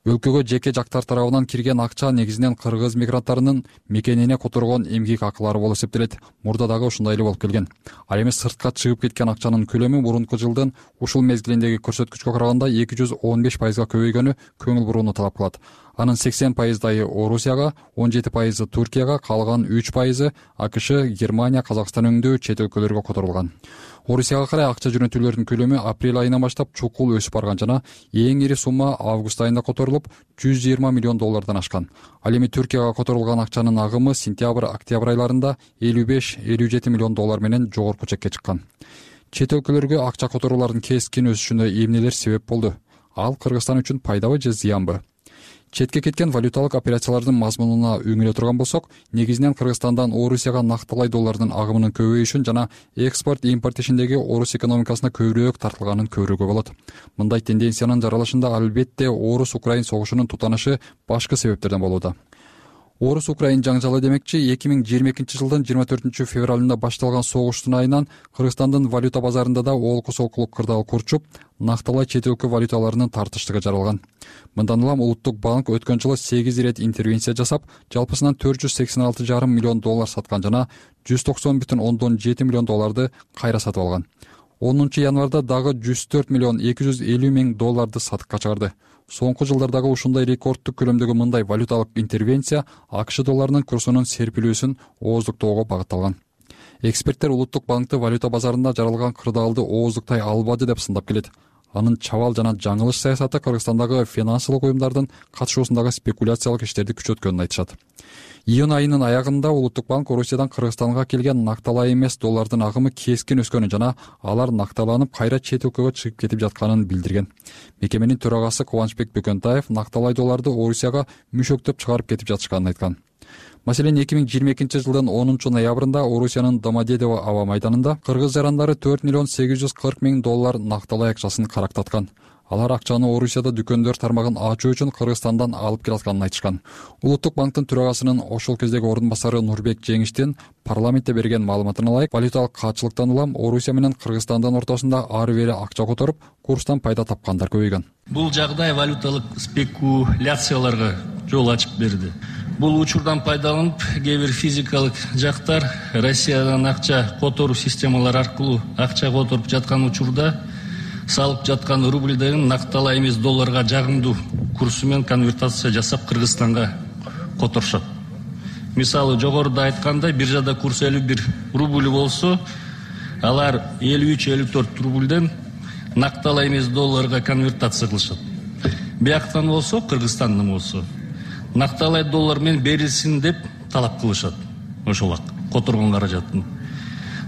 Өлкөгө жеке жактар тарабынан кирген акча негизинен кыргыз мигранттарынын мекенине которгон эмгек акылары болуп эсептелет. Мурда дагы ушундай эле болуп келген. Ал эми сыртка чыгып кеткен акчанын көлөмү мурунку жылдын ушул мезгилиндеги көрсөткүчкө караганда эки жүз он беш пайызга көбөйгөнү көңүл бурууну талап кылат. Анын сексен пайыздайы Орусияга, он жети пайызы Түркияга, калган үч пайызы АКШ, Германия, Казакстан өңдүү чет өлкөлөргө которулган. Орусияга карай акча жөнөтүүлөрдүн көлөмү апрель айынан баштап чукул өсүп барган жана эң ири сумма август айында которулуп жүз жыйырма миллион доллардан ашкан. Ал эми Түркияга которулган акчанын агымы сентябрь-октябрь айларында элүү беш элүү жети миллион доллар менен жогорку чекке чыккан. Чет өлкөлөргө акча которуулардын кескин өсүшүнө эмнелер себеп болду? Ал Кыргызстан үчүн пайдабы же зыянбы? Четке кеткен валюталык операциялардын мазмунуна үңүлө турган болсок, негизинен Кыргызстандан Орусияга нактылай доллардын агымынын көбөйүшүн жана экспорт импорт ишиндеги Орус экономикасына көбүрөөк тартылганын көрүүгө болот. Мындай тенденциянын жаралышында албетте Орус-Украин согушунун тутанышы башкы себептерден болууда. орус украин жаңжалы демекчи эки миң жыйырма экинчи жылдын жыйырма төртүнчү февралында башталган согуштун айынан Кыргызстандын валюта базарында да олку солкулуу кырдаал курчуп, накталай чет өлкө валюталарынын тартыштыгы жаралган. Мындан улам Улуттук банк өткөн жылы сегиз ирет интервенция жасап, жалпысынан төрт жүз сексен алты жарым миллион доллар саткан жана жүз токсон бүтүн ондон жети миллион долларды кайра сатып алган. онунчу январда дагы жүз төрт миллион эки жүз элүү миң долларды сатыкка чыгарды. Соңку жылдардагы ушундай рекорддук көлөмдөгү мындай валюталык интервенция АКШ долларынын курсунун серпилүүсүн ооздуктоого багытталган. Эксперттер Улуттук банкты валюта базарында жаралган кырдаалды ооздуктай албады деп сындап келет. Анын чабал жана жаңылыш саясаты Кыргызстандагы финансылык уюмдардын катышуусундагы спекуляциялык иштерди күчөткөнүн айтышат. Июнь айынын аягында Улуттук банк Орусиядан Кыргызстанга келген накталай эмес доллардын агымы кескин өскөнүн жана алар накталанып кайра чет өлкөгө чыгып кетип жатканын билдирген. Мекеменин төрагасы Кубанычбек Бөкөнтаев накталай долларды Орусияга мүшөктөп чыгарып кетип жатышканын айткан. Маселен, эки миң жыйырма экинчи жылдын онунчу ноябрында Орусиянын Домодедово аба майданында кыргыз жарандары төрт миллион сегиз жүз кырк миң доллар накталай акчасын карактаткан. Алар акчаны Орусияда дүкөндөр тармагын ачуу үчүн Кыргызстандан алып келатканын айтышкан. Улуттук банктын төрагасынын ошол кездеги ордун басары Нурбек Жеңиштин парламентте берген маалыматына ылайык, валюталык каатчылыктан улам Орусия менен Кыргызстандын ортосунда ары бери акча которуп, курстан пайда тапкандар көбөйгөн. Бул жагдай валюталык спекуляцияларга жол ачып берди. Бул учурдан пайдаланып, кээ бир физикалык жактар Россиядан акча которуу системалары аркылуу акча которуп жаткан учурда салып жаткан рубльден накталай эмес долларга жагымдуу курсу менен конвертация жасап Кыргызстанга которушат. Мисалы, жогоруда айткандай, биржада курс элүү бир рубль болсо, алар элүү үч элүү төрт рубльден накталай эмес долларга конвертация кылышат. Бияктан болсо, Кыргызстандан болсо, накталай доллар менен берилсин деп талап кылышат. Ошол которгон каражатын.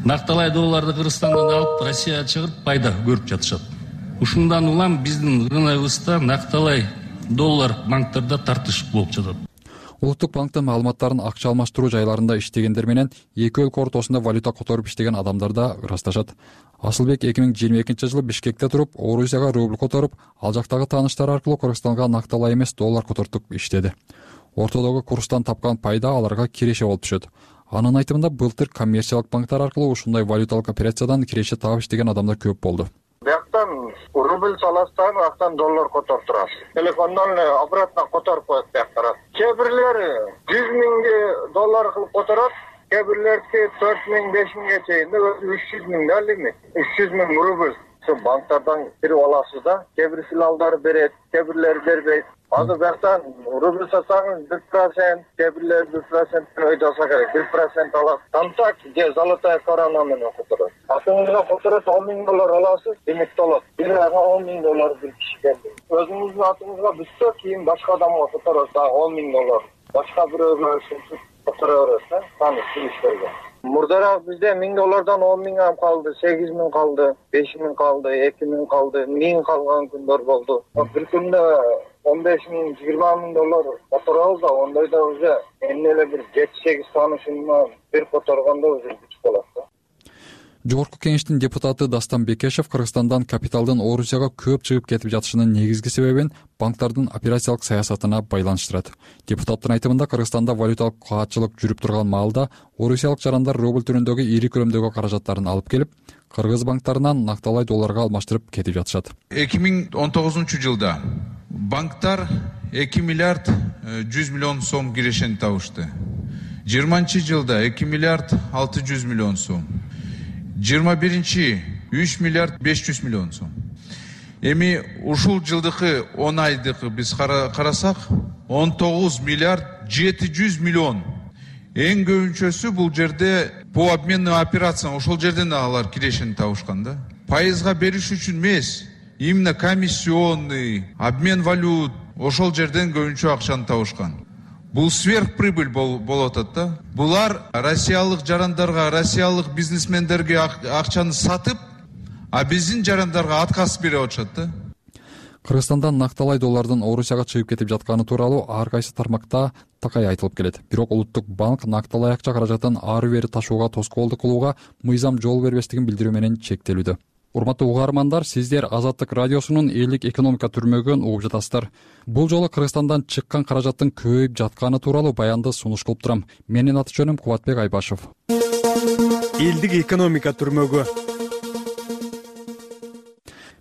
Накталай долларды Кыргызстандан алып, Россияга чыгып пайда көрүп жатышат. Ушундан улам биздин рыногыбызда накталай доллар банктарда тартыш болуп жатат. Улуттук банктын маалыматтарын акча алмаштыруу жайларында иштегендер менен эки өлкө ортосунда валюта которуп иштеген адамдар да ырасташат. Асылбек эки миң жыйырма экинчи жылы Бишкекте туруп, Орусияга рубль которуп, ал жактагы тааныштары аркылуу Кыргызстанга накталай эмес доллар котортуп иштеди. Ортодогу курстан тапкан пайда аларга киреше болуп түшөт. Анын айтымында, былтыр коммерциялык банктар аркылуу ушундай валюталык операциядан киреше таап иштеген адамдар көп болду. Бияктан рубль саластан, актан доллар которуп турасыз. Телефондон обратно которуп коет бияктар. Кээ бирлери жүз миң доллар кылып которот, кээ бирлерки төрт миң, беш миңге чейин үч жүз миң да лимит. үч жүз миң рубль ошо банктардан кирип аласыз да. Кээ бир филиалдар берет, кээ бирлери бербейт. Азыр бияктан рубль сатсаңыз бир процент, кээ бирлери бир процент өйдаса керек, бир процент алат. Контакт же золотая корона менен которот. Атыңызга которот он миң доллар аласыз, лимит болот. Бир айга он миң доллар бир кишиге. Өзүңүздүн атыңызга бүтсө, кийин башка адамга которот дагы он миң доллар. Башка бирөөгө котора берет, таныш билиштерге. Мурдараак бизде миң доллардан он миң ам калды, сегиз миң калды, беш миң калды, эки миң калды, миң калган күндөр болду. Бир күндө он беш миң, жыйырма миң доллар которобуз да, ондойдо уже эмне эле бир жети сегиз таанышымдан бир которгондо уже бүт болот да. Жогорку кеңештин депутаты Дастан Бекешев Кыргызстандан капиталдын Орусияга көп чыгып кетип жатышынын негизги себебин банктардын операциялык саясатына байланыштырат. Депутаттын айтымында, Кыргызстанда валюталык каатчылык жүрүп турган маалда орусиялык жарандар рубль түрүндөгү ири көлөмдөгү каражаттарын алып келип, кыргыз банктарынан накталай долларга алмаштырып кетип жатышат. эки миң он тогузунчу жылда банктар эки миллиард жүз миллион сом кирешени табышты. жыйырманчы жылда эки миллиард алты жүз миллион сом. жыйырма биринчи үч миллиард беш жүз миллион сом. Эми ушул жылдыкы он айдыкы биз карасак, он тогуз миллиард жети жүз миллион. Эң көбүнчөсү бул жерде по обменным операциям ошол жерден алар кирешени табышкан да. Пайызга бериш үчүн эмес, именно комиссионный, обмен валют, ошол жерден көбүнчө акчаны табышкан. Бул сверхприбыль болуп атат да. Булар россиялык жарандарга, россиялык бизнесмендерге акчаны сатып, а биздин жарандарга отказ берип атышат да. Кыргызстандан накталай доллардын Орусияга чыгып кетип жатканы тууралуу ар кайсы тармакта такай айтылып келет. Бирок Улуттук банк накталай акча каражатын ары бери ташууга тоскоолдук кылууга мыйзам жол бербестигин билдирүү менен чектелүүдө. урматтуу угармандар, сиздер Азаттык радиосунун элдик экономика түрмөгүн угуп жатасыздар. Бул жолу Кыргызстандан чыккан каражаттын көбөйүп жатканы тууралуу баянды сунуш кылып турам. Менин аты жөнүм Кубатбек Айбашев. Элдик экономика түрмөгү.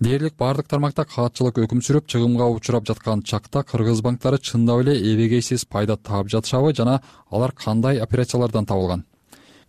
Дээрлик бардык тармакта каатчылык өкүм сүрүп, чыгымга учурап жаткан чакта кыргыз банктары чындап эле эбегейсиз пайда таап жатышабы жана алар кандай операциялардан табылган?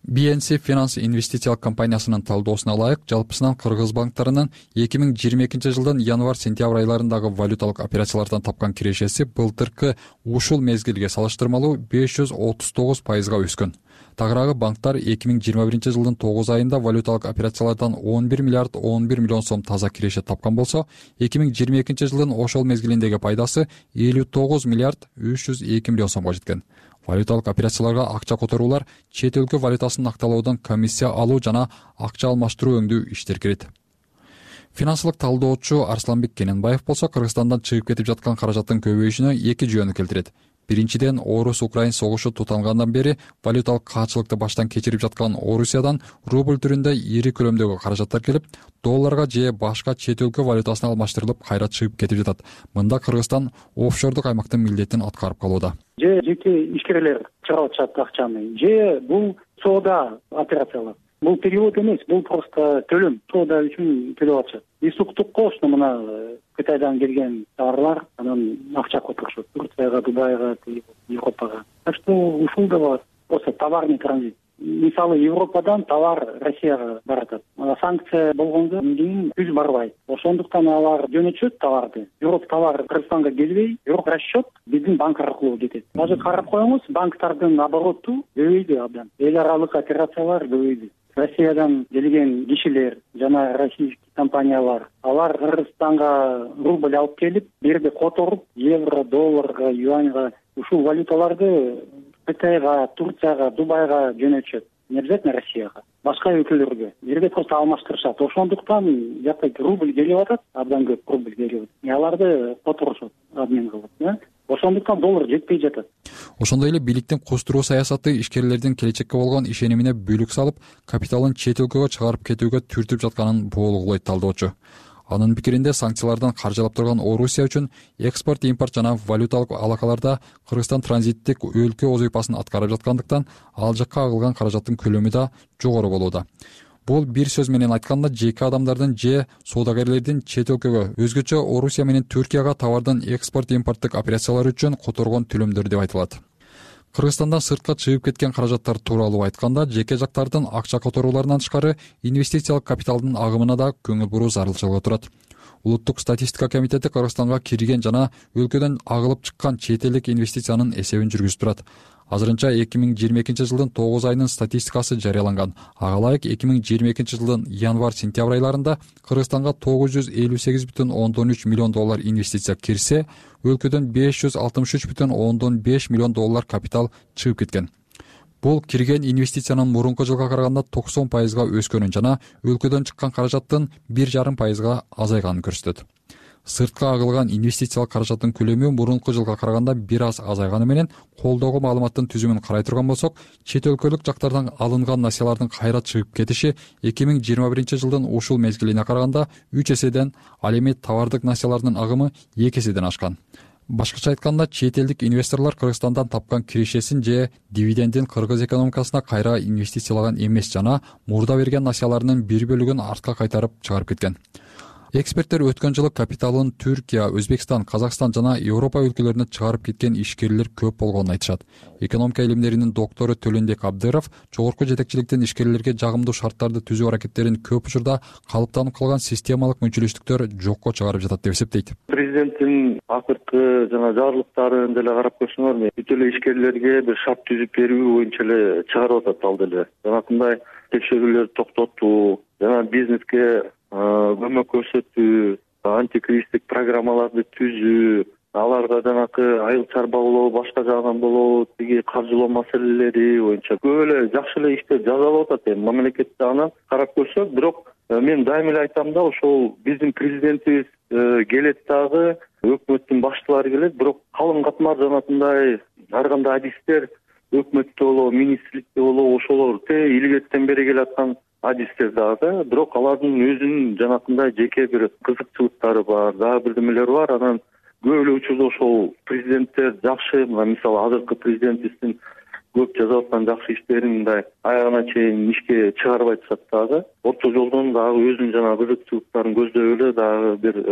би эн си Finance инвестициялык компаниясынын талдоосуна ылайык, жалпысынан кыргыз банктарынын эки миң жыйырма экинчи жылдын январь-сентябрь айларындагы валюталык операциялардан тапкан кирешеси былтыркы ушул мезгилге салыштырмалуу беш жүз отуз тогуз пайызга өскөн. Тагыраагы банктар эки миң жыйырма биринчи жылдын тогуз айында валюталык операциялардан он бир миллиард он бир миллион сом таза киреше тапкан болсо, эки миң жыйырма экинчи жылдын ошол мезгилиндеги пайдасы элүү тогуз миллиард үч жүз эки миллион сомго жеткен. Валюталык операцияларга акча которуулар, чет өлкө валютасын акталоодон комиссия алуу жана акча алмаштыруу өңдүү иштер кирет. Финансылык талдоочу Арсланбек Кененбаев болсо Кыргызстандан чыгып кетип жаткан каражаттын көбөйүшүнө эки жөнү келтирет. Биринчиден, Орус-Украин согушу тутангандан бери валюталык каатчылыкты баштан кечирип жаткан Орусиядан рубль түрүндө ири көлөмдөгү каражаттар келип, долларга же башка чет өлкө валютасына алмаштырылып кайра чыгып кетип жатат. Мында Кыргызстан офшордук аймактын милдетин аткарып калууда. Же жеке ишкерлер чыгарып атышат акчаны, же бул соода операциялар. Бул перевод эмес, бул просто төлөм, соода үчүн төлөп атышат. Исуктукко ошо мына Кытайдан келген товарлар анан акча которушат. Турцияга, Дубайга, Европага. Так что ушул да бар. Просто товарный транзит. Мисалы Европадан товар Россияга баратат. Санкция болгондо кийин түз барбайт. Ошондуктан алар жөнөтүшөт товарды. Бирок товар Кыргызстанга келбей, бирок расчет биздин банк аркылуу кетет. Азыр карап коюңуз, банктардын обороту көбөйдү абдан. Эл аралык операциялар көбөйдү. Россиядан келген кишилер жана российский компаниялар алар Кыргызстанга рубль алып келип, берде которуп, евро, долларга, юаньга ушул валюталарды Кытайга, Турцияга, Дубайга жөнөтүшөт. Не обязательно Россияга, башка өлкөлөргө. Жерде просто алмаштырышат. Ошондуктан жакта рубль келип атат, абдан көп рубль келип атат. Аларды которушат, обмен кылып, ошондуктан доллар жетпей жатат. Ошондой эле бийликтин кустуруу саясаты ишкерлердин келечекке болгон ишенимине бүлүк салып, капиталын чет өлкөгө чыгарып кетүүгө түртүп жатканын боолугулайт талдоочу. Анын пикиринде санкциялардан каржылап турган Орусия үчүн экспорт, импорт жана валюталык алакаларда Кыргызстан транзиттик өлкө вазыйфасын аткарып жаткандыктан ал жакка агылган каражаттын көлөмү да жогору болууда. Бул бир сөз менен айтканда жеке адамдардын же соодагерлердин чет өлкөгө, өзгөчө Орусия менен Түркияга товардын экспорт, импорттук операциялары үчүн которгон төлөмдөр деп айтылат. Кыргызстандан сыртка чыгып кеткен каражаттар тууралуу айтканда, жеке жактардын акча которууларынан тышкары инвестициялык капиталдын агымына да көңүл буруу зарылчылыгы турат. Улуттук статистика комитети Кыргызстанга кирген жана өлкөдөн агылып чыккан чет элдик инвестициянын эсебин жүргүзүп турат. Азырынча эки миң жыйырма экинчи жылдын тогуз айынын статистикасы жарыяланган. Ага ылайык эки миң жыйырма экинчи жылдын январь-сентябрь айларында Кыргызстанга тогуз жүз элүү сегиз бүтүн ондон үч миллион доллар инвестиция кирсе, өлкөдөн беш жүз алтымыш үч бүтүн ондон беш миллион доллар капитал чыгып кеткен. Бул кирген инвестициянын мурунку жылга караганда токсон пайызга өскөнүн жана өлкөдөн чыккан каражаттын бир жарым пайызга азайганын көрсөтөт. Сыртка агылган инвестициялык каражаттын көлөмү мурунку жылга караганда бир аз азайганы менен, колдогу маалыматтын түзүмүн карай турган болсок, чет өлкөлүк жактардан алынган насиялардын кайра чыгып кетиши эки миң жыйырма биринчи жылдын ушул мезгилине караганда үч эседен, ал эми товардык насиялардын агымы эки эседен ашкан. Башкача айтканда, чет элдик инвесторлор Кыргызстандан тапкан кирешесин же дивидендин кыргыз экономикасына кайра инвестициялаган эмес жана мурда берген насияларынын бир бөлүгүн артка кайтарып чыгарып кеткен. Эксперттер өткөн жылы капиталын Түркия, Өзбекстан, Казакстан жана Европа өлкөлөрүнө чыгарып кеткен ишкерлер көп болгонун айтышат. Экономика илимдеринин доктору Төлөнбек Абдыров жогорку жетекчиликтин ишкерлерге жагымдуу шарттарды түзүү аракеттерин көп учурда калыптанып калган системалык мүнчүлүштүктөр жокко чыгарып жатат деп эсептейт. Президенттин акыркы жана жарлыктарын деле карап көрсөңөр, бүт эле ишкерлерге бир шарт түзүп берүү боюнча эле чыгарып атат ал деле. Жанакындай текшерүүлөрдү токтотуу жана бизнеске көмөк көрсөтүү, антикризистик программаларды түзүү, аларга жанакы айыл чарба болобу, башка жагынан болобу, тиги каржылоо маселелери боюнча көп эле жакшы эле иштер жасалып атат. Эми мамлекет жагынан карап көрсөк, бирок мен дайыма эле айтам да, ошол биздин президентибиз келет дагы, өкмөттүн баштылары келет, бирок калың катмар жанакындай ар кандай адистер өкмөттө болобу, министрликте болобу, ошолор те илгертен бери келаткан адистер дагы, бирок алардын өзүнүн жанакындай жеке бир кызыкчылыктары бар, дагы бирдемелери бар. Анан көп эле учурда ошол президенттер жакшы, мисалы азыркы президент биздин көп жасап аткан жакшы иштерин мындай аягына чейин ишке чыгарбай атышат дагы. Орто жолдон дагы өзүнүн жана кызыкчылыктарын көздөп эле дагы бир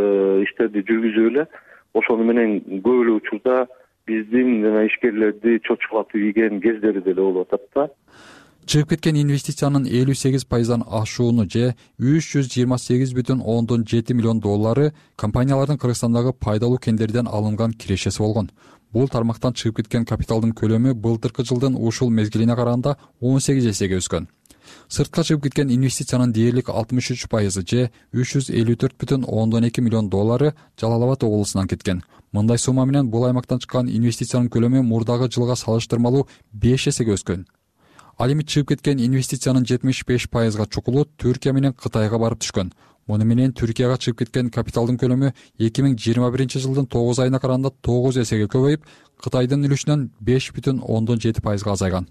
иштерди жүргүзүп эле ошону менен көп эле учурда биздин жана ишкерлерди чочулатып ийген кездери деле болуп атат да. Чыгып кеткен инвестициянын элүү сегиз пайыздан ашууну же үч жүз жыйырма сегиз бүтүн ондон жети миллион доллары компаниялардын Кыргызстандагы пайдалуу кендерден алынган кирешеси болгон. Бул тармактан чыгып кеткен капиталдын көлөмү былтыркы жылдын ушул мезгилине караганда он сегиз эсеге өскөн. Сыртка чыгып кеткен инвестициянын дээрлик алтымыш үч пайызы же үч жүз элүү төрт бүтүн ондон эки миллион доллары Жалал Абад облусунан кеткен. Мындай сумма менен бул аймактан чыккан инвестициянын көлөмү мурдагы жылга салыштырмалуу беш эсеге өскөн. Ал эми чыгып кеткен инвестициянын жетимиш беш пайызга чукулу Түркия менен Кытайга барып түшкөн. Муну менен Түркияга чыгып кеткен капиталдын көлөмү эки миң жыйырма биринчи жылдын тогуз айына караганда тогуз эсеге көбөйүп, Кытайдын үлүшүнөн беш бүтүн ондон жети пайызга азайган.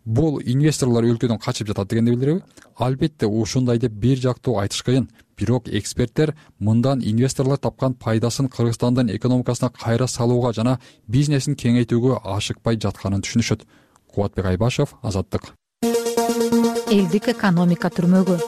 Бул инвесторлор өлкөдөн качып жатат дегенди билдиреби? Албетте ушундай деп бир жактуу айтыш кыйын. Бирок эксперттер мындан инвесторлор тапкан пайдасын Кыргызстандын экономикасына кайра салууга жана бизнесин кеңейтүүгө ашыкпай жатканын түшүнүшөт. Кубатбек Айбашев, Азаттык. Элдик экономика түрмөгү.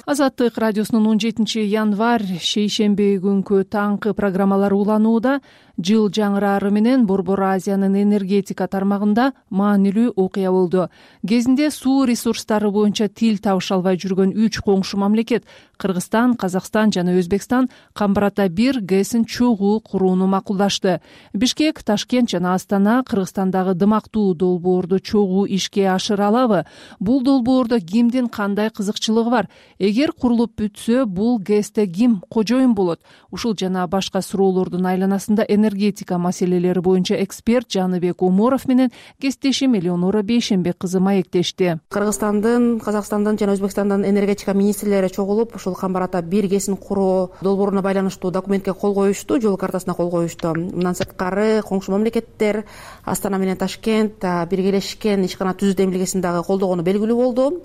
Азаттык радиосунун он жетинчи январь шейшемби күнкү таңкы программалары уланууда. Жыл жаңырары менен Борбор Азиянын энергетика тармагында маанилүү окуя болду. Кезинде суу ресурстары боюнча тил табыша албай жүргөн үч коңшу мамлекет Кыргызстан, Казакстан жана Өзбекстан Камбарата бир ГЭСин чогуу курууну макулдашты. Бишкек, Ташкент жана Астана Кыргызстандагы дымактуу долбоорду чогуу ишке ашыра алабы? Бул долбоордо кимдин кандай кызыкчылыгы бар? Эгер курулуп бүтсө, бул ГЭСте ким кожоюн болот? Ушул жана башка суроолордун айланасында энергетика маселелери боюнча эксперт Жаныбек Оморов менен кесиптешим Элеонора Бейшембек кызы маектешти. Кыргызстандын, Казакстандын жана Өзбекстандын энергетика министрлери чогулуп ушул Камбарата бир ГЭСин куруу долбооруна байланыштуу документке кол коюшту, жол картасына кол коюшту. Мындан сырткары коңшу мамлекеттер Астана менен Ташкент биргелешкен ишкана түзүү демилгесин дагы колдогону белгилүү болду.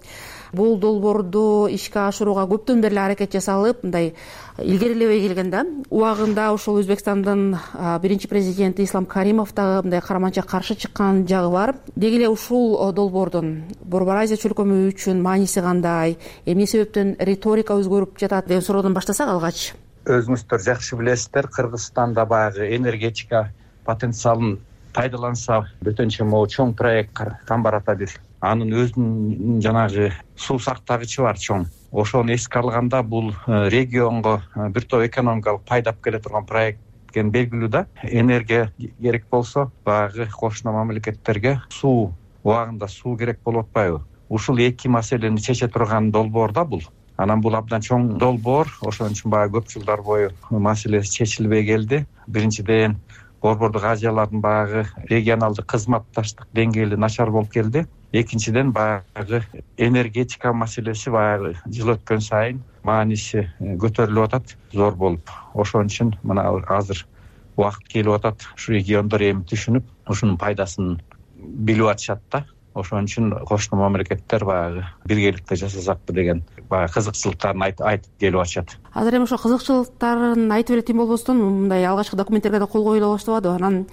Бул долбоорду ишке ашырууга көптөн бери аракет жасалып, мындай илгерилебей келген да. Убагында ушул Өзбекстандын биринчи президенти Ислам Каримов дагы мындай караманча каршы чыккан жагы бар. Деги эле ушул долбоордун Борбор Азия чөлкөмү үчүн мааниси кандай, эмне себептен риторика өзгөрүп жатат деген суроодон баштасак алгач. Өзүңүздөр жакшы билесиздер, Кыргызстанда баягы энергетика потенциалын пайдаланса бөтөнчө могу чоң проект Камбарата бир. Анын өзүнүн жанагы суу сактагычы бар чоң. Ошону эске алганда бул регионго бир топ экономикалык пайда алып келе турган проект экен белгилүү да. Энергия керек болсо, баягы кошуна мамлекеттерге суу убагында суу керек болуп атпайбы? Ушул эки маселени чече турган долбоор да бул. Анан бул абдан чоң долбоор, ошон үчүн баягы көп жылдар бою маселеси чечилбей келди. Биринчиден Борбордук Азиялардын баягы регионалдык кызматташтык деңгээли начар болуп келди. Экинчиден баягы энергетика маселеси баягы жыл өткөн сайын мааниси көтөрүлүп атат, зор болуп. Ошон үчүн мына азыр убакыт келип атат, ушу региондор эми түшүнүп, ушунун пайдасын билип атышат да. Ошон үчүн кошуна мамлекеттер баягы биргеликте жасасакпы деген баягы кызыкчылыктарын айтып келип атышат. Азыр эми ошо кызыкчылыктарын айтып эле тим болбостон, мындай алгачкы документтерге да кол коюла баштабады. Анан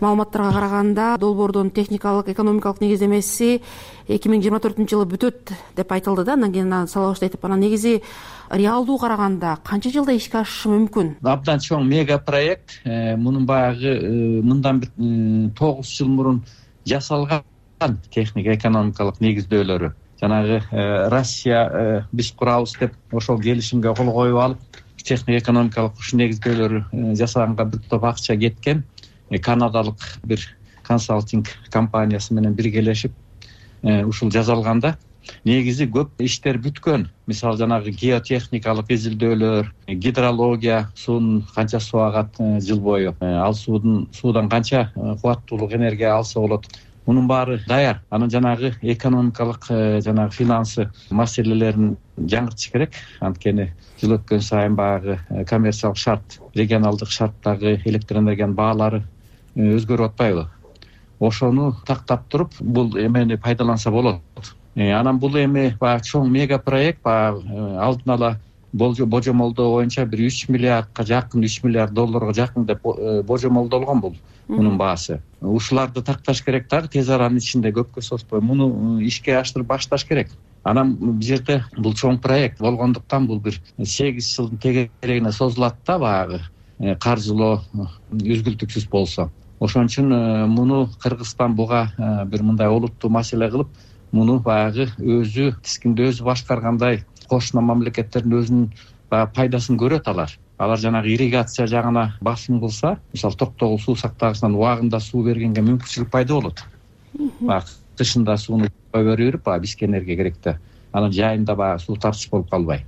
маалыматтарга караганда долбоордун техникалык, экономикалык негиздемеси эки миң жыйырма төртүнчү жылы бүтөт деп айтылды да. Андан кийин сала баштайт. Анан негизи реалдуу караганда канча жылда ишке ашышы мүмкүн? Абдан чоң мега проект. Мунун баягы мындан бир тогуз жыл мурун жасалган техник экономикалык негиздөөлөрү. Жанагы Россия биз курабыз деп ошол келишимге кол коюп алып, техник экономикалык ушу негиздөөлөрү жасаганга бир топ акча кеткен. Канадалык бир консалтинг компаниясы менен биргелешип ушул жасалганда негизи көп иштер бүткөн. Мисалы жанагы геотехникалык изилдөөлөр, гидрология, суунун канча суу агат жыл бою, ал суудун суудан канча кубаттуулук энергия алса болот. Мунун баары даяр. Анан жанагы экономикалык жанагы финансы маселелерин жаңыртыш керек. Анткени жыл өткөн сайын баягы коммерциялык шарт, регионалдык шарттагы электр энергиянын баалары өзгөрүп атпайбы? Ошону тактап туруп, бул эмени пайдаланса болот. анан бул эми баягы чоң мега проект баягы алдын ала божомолдоо боюнча бир үч миллиардка жакын үч миллиард долларга жакын деп божомолдолгон бул мунун баасы. Ушуларды такташ керек дагы тез аранын ичинде, көпкө созбой муну ишке аштырып башташ керек. Анан бул жерде бул чоң проект болгондуктан бул бир сегиз жылдын тегерегине созулат да, баягы каржылоо үзгүлтүксүз болсо. Ошон үчүн муну Кыргызстан буга бир мындай олуттуу маселе кылып, муну баягы өзү тискинде өзү башкаргандай кошуна мамлекеттердин өзүнүн баягы пайдасын көрөт алар. Алар жанагы ирригация жагына басым кылса, мисалы Токтогул суу сактагычынан убагында суу бергенге мүмкүнчүлүк пайда болот. Баягы тышында сууну берип, баягы бизге энергия керек да. Анан жайында баягы суу тартыш болуп калбай.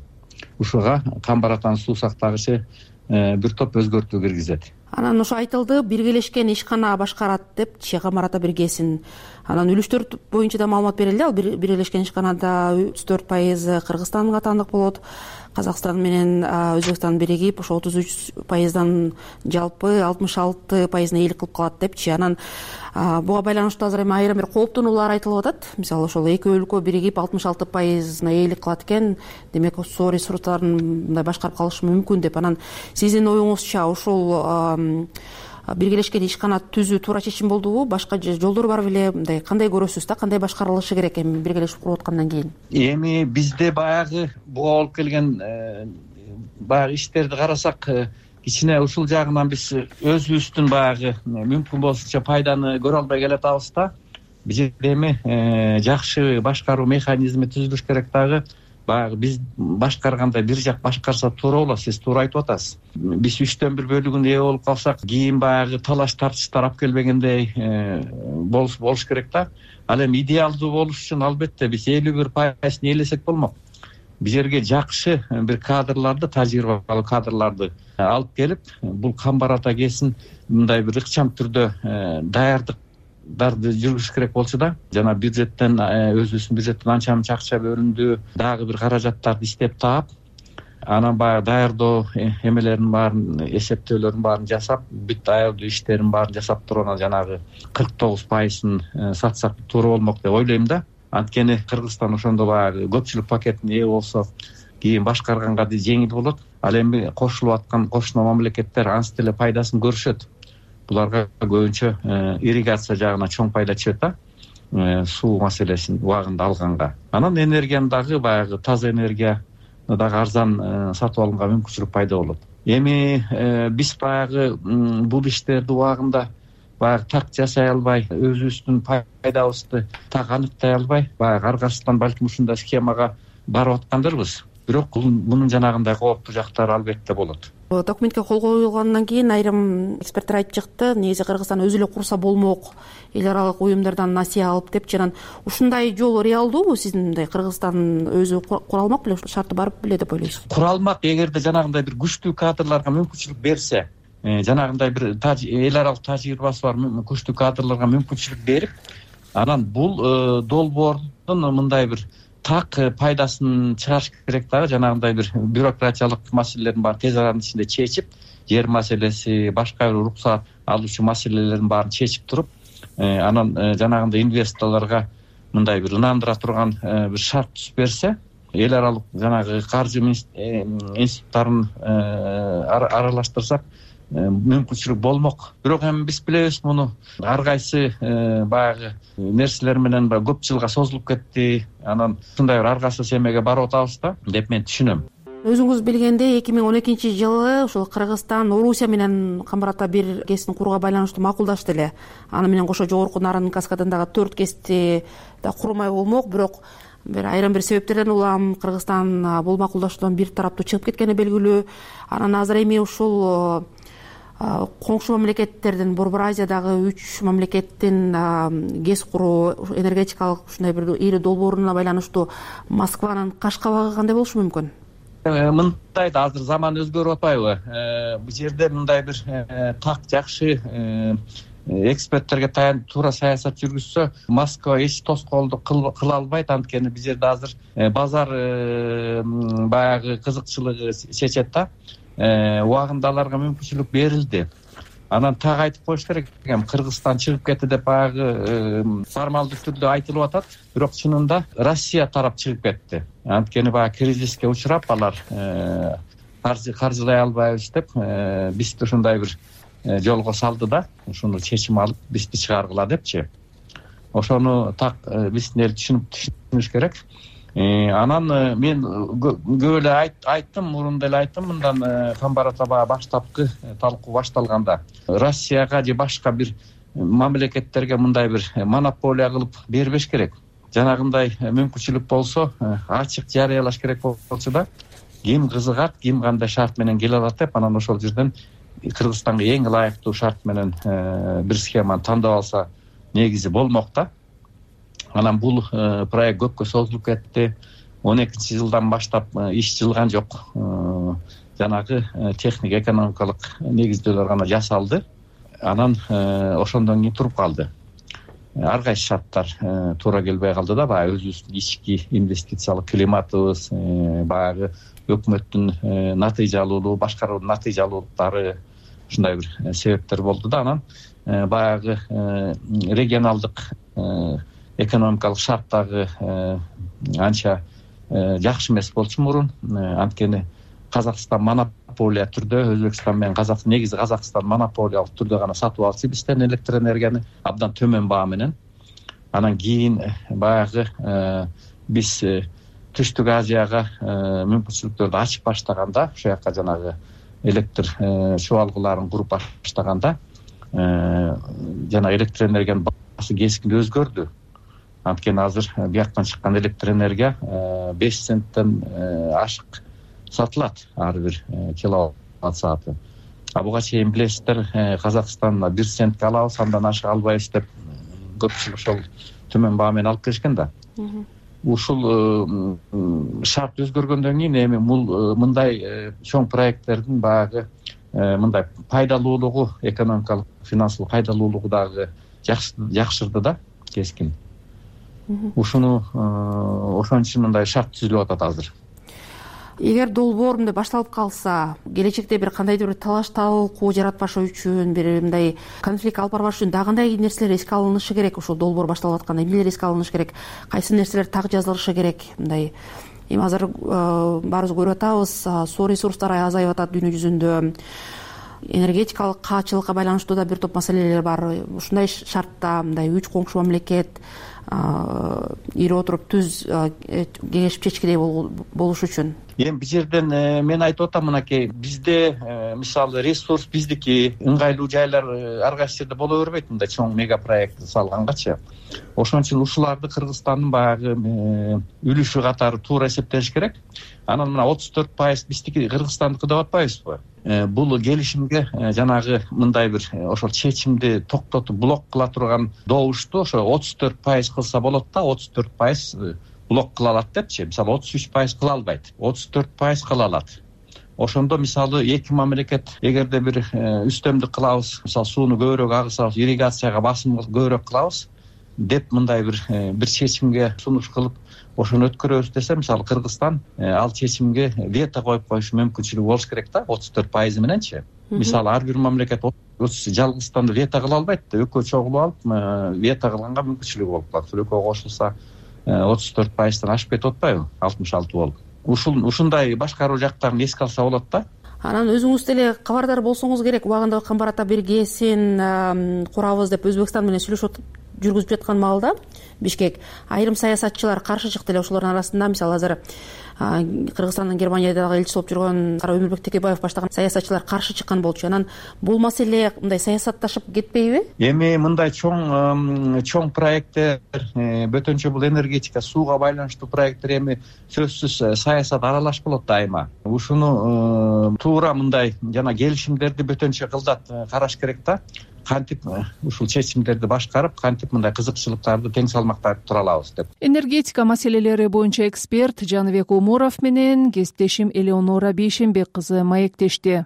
Ушуга Камбар атанын суу сактагычы бир топ өзгөртүү киргизет. Анан ошо айтылды, биргелешкен ишкана башкарат деп Камбар ата биргесин. Анан үлүштөр боюнча да маалымат берилди. Ал биргелешкен ишканада отуз төрт пайызы Кыргызстандын катандык болот. Казакстан менен Өзбекстан биригип ошо отуз үч пайыздан жалпы алтымыш алты пайызына ээлик кылып калат депчи. Анан буга байланыштуу азыр эми айрым бир кооптонуулар айтылып атат. Мисалы ошол эки өлкө биригип алтымыш алты пайызына ээлик кылат экен, демек суу ресурстарын мындай башкарып калышы мүмкүн деп. Анан сиздин оюңузча ошол биргелешкен ишкана түзүү туура чечим болдубу? Башка жолдор бар беле? Мындай кандай көрөсүз да, кандай башкарылышы керек эми биргелешип куруп аткандан кийин? Эми бизде баягы буга болуп келген баягы иштерди карасак, кичине ушул жагынан биз өзүбүздүн баягы мүмкүн болсунча пайданы көрө албай келатабыз да. Бизде эми жакшы башкаруу механизми түзүлүш керек дагы. Баягы биз башкаргандай бир жак башкарса туура болот, сиз туура айтып атасыз. Биз үчтөн бир бөлүгүн ээ болуп калсак, кийин баягы талаш тартыштар алып келбегендей болуш болуш керек да. Ал эми идеалдуу болуш үчүн албетте биз элүү бир пайызын ээлесек болмок. Биз жерге жакшы бир кадрларды, тажрыйбалуу кадрларды алып келип, бул Камбар ата кесин мындай бир ыкчам түрдө даярдык дарды жүргүзүш керек болчу да. Жана бюджеттен, өзүбүздүн бюджеттен анча мынча акча бөлүндү, дагы бир каражаттарды иштеп таап, анан баягы даярдоо эмелерин баарын, эсептөөлөрүн баарын жасап, бүт даярдоо иштерин баарын жасап туруп, анан жанагы кырк тогуз пайызын сатсак туура болмок деп ойлойм да. Анткени Кыргызстан ошондо баягы көпчүлүк пакетине ээ болсо, кийин башкарганга да жеңил болот. Ал эми кошулуп аткан кошуна мамлекеттер анс деле пайдасын көрүшөт. Буларга көбүнчө ирригация жагына чоң пайда чыгат да, суу маселесин убагында алганга. Анан энергияны дагы баягы таза энергия дагы арзан сатып алганга мүмкүнчүлүк пайда болот. Эми биз баягы бул иштерди убагында баягы так жасай албай, өзүбүздүн пайдабызды так аныктай албай, баягы аркасынан балким ушундай схемага барып аткандырбыз. Бирок мунун жанагындай кооптуу жактары албетте болот. Документке кол коюлгандан кийин айрым эксперттер айтып чыкты, негизи Кыргызстан өзү эле курса болмок, эл аралык уюмдардан насыя алып деп. Анан ушундай жол реалдуубу? Сиздин мындай Кыргызстан өзү кура алмак беле, шарты бар беле деп ойлойсуз? Кура алмак, эгерде жанагындай бир күчтүү кадрларга мүмкүнчүлүк берсе, жанагындай бир эл аралык тажрыйбасы бар күчтүү кадрларга мүмкүнчүлүк берип, анан бул долбоордун мындай бир так пайдасын чыгарыш керек дагы. Жанагындай бир бюрократиялык маселелерин баарын тез аранын ичинде чечип, жер маселеси, башка бир уруксат алуучу маселелерин баарын чечип туруп, анан жанагындай инвесторлорго мындай бир ынандыра турган бир шарт түзүп берсе, эл аралык жанагы каржы институттарын аралаштырсак мүмкүнчүлүк болмок. Бирок эми биз билебиз, муну ар кайсы баягы нерселер менен көп жылга созулуп кетти. Анан ушундай бир аргасыз эмеге барып атабыз да деп мен түшүнөм. Өзүңүз билгендей, эки миң он экинчи жылы ушул Кыргызстан Орусия менен Камбар ата бир кесин курууга байланыштуу макулдашты эле. Аны менен кошо жогорку Нарын каскадындагы төрт кести да курмай болмок. Бирок бир айрым бир себептерден улам Кыргызстан бул макулдашуудан бир тараптуу чыгып кеткени белгилүү. Анан азыр эми ушул коңшу мамлекеттердин, Борбор Азиядагы үч мамлекеттин гез куруу, энергетикалык ушундай бир ири долбооруна байланыштуу Москванын каш кабагы кандай болушу мүмкүн? Мындай да, азыр заман өзгөрүп атпайбы? Бул жерде мындай бир так жакшы эксперттерге таянып туура саясат жүргүзсө, Москва эч тоскоолдук кыла албайт. Анткени бул жерде азыр базар баягы кызыкчылыгы чечет да. Убагында аларга мүмкүнчүлүк берилди. Анан так айтып коюш керек, эми Кыргызстан чыгып кетти деп баягы формалдуу түрдө айтылып атат, бирок чынында Россия тарап чыгып кетти. Анткени баягы кризиске учурап алар каржылай албайбыз деп бизди ушундай бир жолго салды да, ушуну чечим алып бизди чыгаргыла депчи. Ошону так биздин эл түшүнүп түшүнүш керек. Анан мен көп эле айттым, мурун эле айттым, мындан Камбарата баягы баштапкы талкуу башталганда Россияга же башка бир мамлекеттерге мындай бир монополия кылып бербеш керек. Жанагындай мүмкүнчүлүк болсо ачык жарыялаш керек болчу да, ким кызыгат, ким кандай шарт менен келе алат деп, анан ошол жерден Кыргызстанга эң ылайыктуу шарт менен бир схеманы тандап алса негизи болмок да. Анан бул проект көпкө созулуп кетти. он экинчи жылдан баштап иш жылган жок. Жанагы техник экономикалык негиздөөлөр гана жасалды. Анан ошондон кийин туруп калды. Ар кайсы шарттар туура келбей калды да, баягы өзүбүздүн ички инвестициялык климатыбыз, баягы өкмөттүн натыйжалуулугу, башкаруунун натыйжалуулуктары, ушундай бир себептер болду да. Анан баягы регионалдык экономикалык шарттагы анча жакшы эмес болчу мурун. Анткени Казакстан монополия түрдө, Өзбекстан менен Казакстан, негизи Казакстан монополиялык түрдө гана сатып алчу бизден электр энергияны абдан төмөн баа менен. Анан кийин баягы биз Түштүк Азияга мүмкүнчүлүктөрдү ачып баштаганда, ошол жака жанагы электр чубалгыларын куруп баштаганда, жана электр энергиянын баасы кескин өзгөрдү. Анткени азыр бияктан чыккан электр энергия беш центтен ашык сатылат ар бир киловатт сааты. А буга чейин билесиздер, Казакстандан бир центке алабыз, андан ашык албайбыз деп көпчүлүк ошол төмөн баа менен алып келишкен да. Ушул шарт өзгөргөндөн кийин эми бул мындай чоң проекттердин баягы мындай пайдалуулугу, экономикалык, финансылык пайдалуулугу дагы жакшырды да, кескин. Ушуну ошон үчүн мындай шарт түзүлүп атат азыр. Эгер долбоор мындай башталып калса, келечекте бир кандайдыр бир талаш талкуу жаратпаш үчүн, бир мындай конфликт алып барбаш үчүн дагы кандай нерселер эске алынышы керек? Ошол долбоор башталып атканда эмнелер эске алынышы керек? Кайсы нерселер так жазылышы керек? Мындай эми азыр баарыбыз көрүп атабыз, суу ресурстары азайып атат дүйнө жүзүндө. Энергетикалык каачылыкка байланыштуу да бир топ маселелер бар. Ушундай шартта мындай үч коңшу мамлекет ири отуруп түз кеңешип чечкидей болуш үчүн. Эми бул жерден мен айтып атам, мынакей бизде мисалы ресурс биздики, ыңгайлуу жайлар ар кайсы жерде боло бербейт, мындай чоң мега проект салгангачы. Ошон үчүн ушуларды Кыргызстандын баягы үлүшү катары туура эсептелиш керек. Анан мына отуз төрт пайыз биздики, Кыргызстандыкы деп атпайбызбы? Бул келишимге жанагы мындай бир ошол чечимди токтотуп блок кыла турган добушту ошо отуз төрт пайыз кылса болот да, отуз төрт пайыз блок кыла алат депчи. Мисалы отуз үч пайыз кыла албайт, отуз төрт пайыз кыла алат. Ошондо мисалы эки мамлекет эгерде бир үстөмдүк кылабыз, мисалы сууну көбүрөөк агызабыз, ирригацияга басым көбүрөөк кылабыз деп мындай бир бир чечимге сунуш кылып ошону өткөрөбүз десе, мисалы Кыргызстан ал чечимге вето коюп коюш мүмкүнчүлүгү болуш керек да, отуз төрт пайыз мененчи. Мисалы ар бир мамлекет жалгыздан вето кыла албайт да, экөө чогулуп алып вето кылганга мүмкүнчүлүгү болуп калат. Экөө кошулса отуз төрт пайыздан ашып кетип атпайбы, алтымыш алты болуп. Ушул ушундай башкаруу жактарын эске алса болот да. Анан өзүңүз деле кабардар болсоңуз керек. Убагында Камбарата биргесин курабыз деп Өзбекстан менен сүйлөшүп жүргүзүп жаткан маалда Бишкек айрым саясатчылар каршы чыкты эле. Ошолордун арасында мисалы азыр Кыргызстандын Германиядагы элчиси болуп жүргөн Кара Өмүрбек Текебаев баштаган саясатчылар каршы чыккан болчу. Анан бул маселе мындай саясатташып кетпейби? Эми мындай чоң чоң проекттер, бөтөнчө бул энергетика, сууга байланыштуу проекттер эми сөзсүз саясат аралаш болот дайыма. Ушуну туура мындай жана келишимдерди бөтөнчө кылдат караш керек да. Кантип ушул чечимдерди башкарып, кантип мындай кызыкчылыктарды тең салмактап тура алабыз деп. Энергетика маселелери боюнча эксперт Жаныбек Умуров менен кесиптешим Элеонора Бейшенбек кызы маектешти.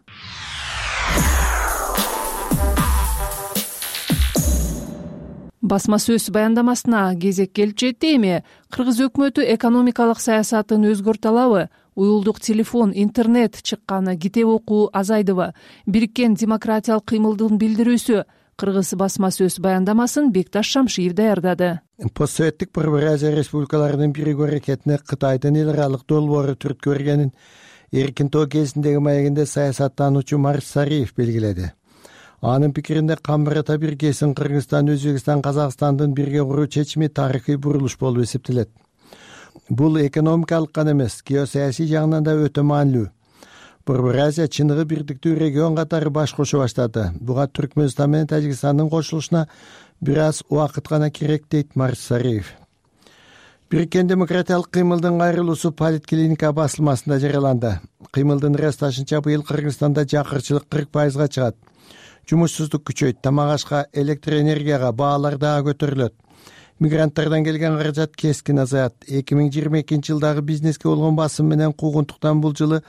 Басма сөз баяндамасына кезек келип жетти. Эми Кыргыз өкмөтү экономикалык саясатын өзгөртө алабы? уюлдук телефон, интернет чыкканы, китеп окуу азайдыбы? Бириккен демократиялык кыймылдын билдирүүсү. Кыргыз басма сөз баяндамасын Бекташ Шамшиев даярдады. Постсоветтик Борбор Азия республикаларынын биригүү аракетине Кытайдын эл аралык долбоору түрткү бергенин эркин тоо кезиндеги маегинде саясаттануучу Марс Сариев белгиледи. Анын пикиринде Камбарата биргесин Кыргызстан, Өзбекстан, Казакстандын бирге куруу чечими тарыхый бурулуш болуп эсептелет. Бул экономикалык гана эмес, геосаясий жагынан да өтө маанилүү. Борбор Азия чыныгы бирдиктүү регион катары баш кошо баштады. Буга Түркмөнстан менен Тажикстандын кошулушуна бир аз убакыт гана керек, дейт Марс Сариев. Бириккен демократиялык кыймылдын кайрылуусу Политклиника басылмасында жарыяланды. Кыймылдын ырасташынча быйыл Кыргызстанда жакырчылык кырк пайызга чыгат. Жумушсуздук күчөйт, тамак ашка, электр энергияга баалар дагы көтөрүлөт. Мигранттардан келген каражат кескин азаят. эки миң жыйырма экинчи жылдагы бизнеске болгон басым менен куугунтуктан бул жылы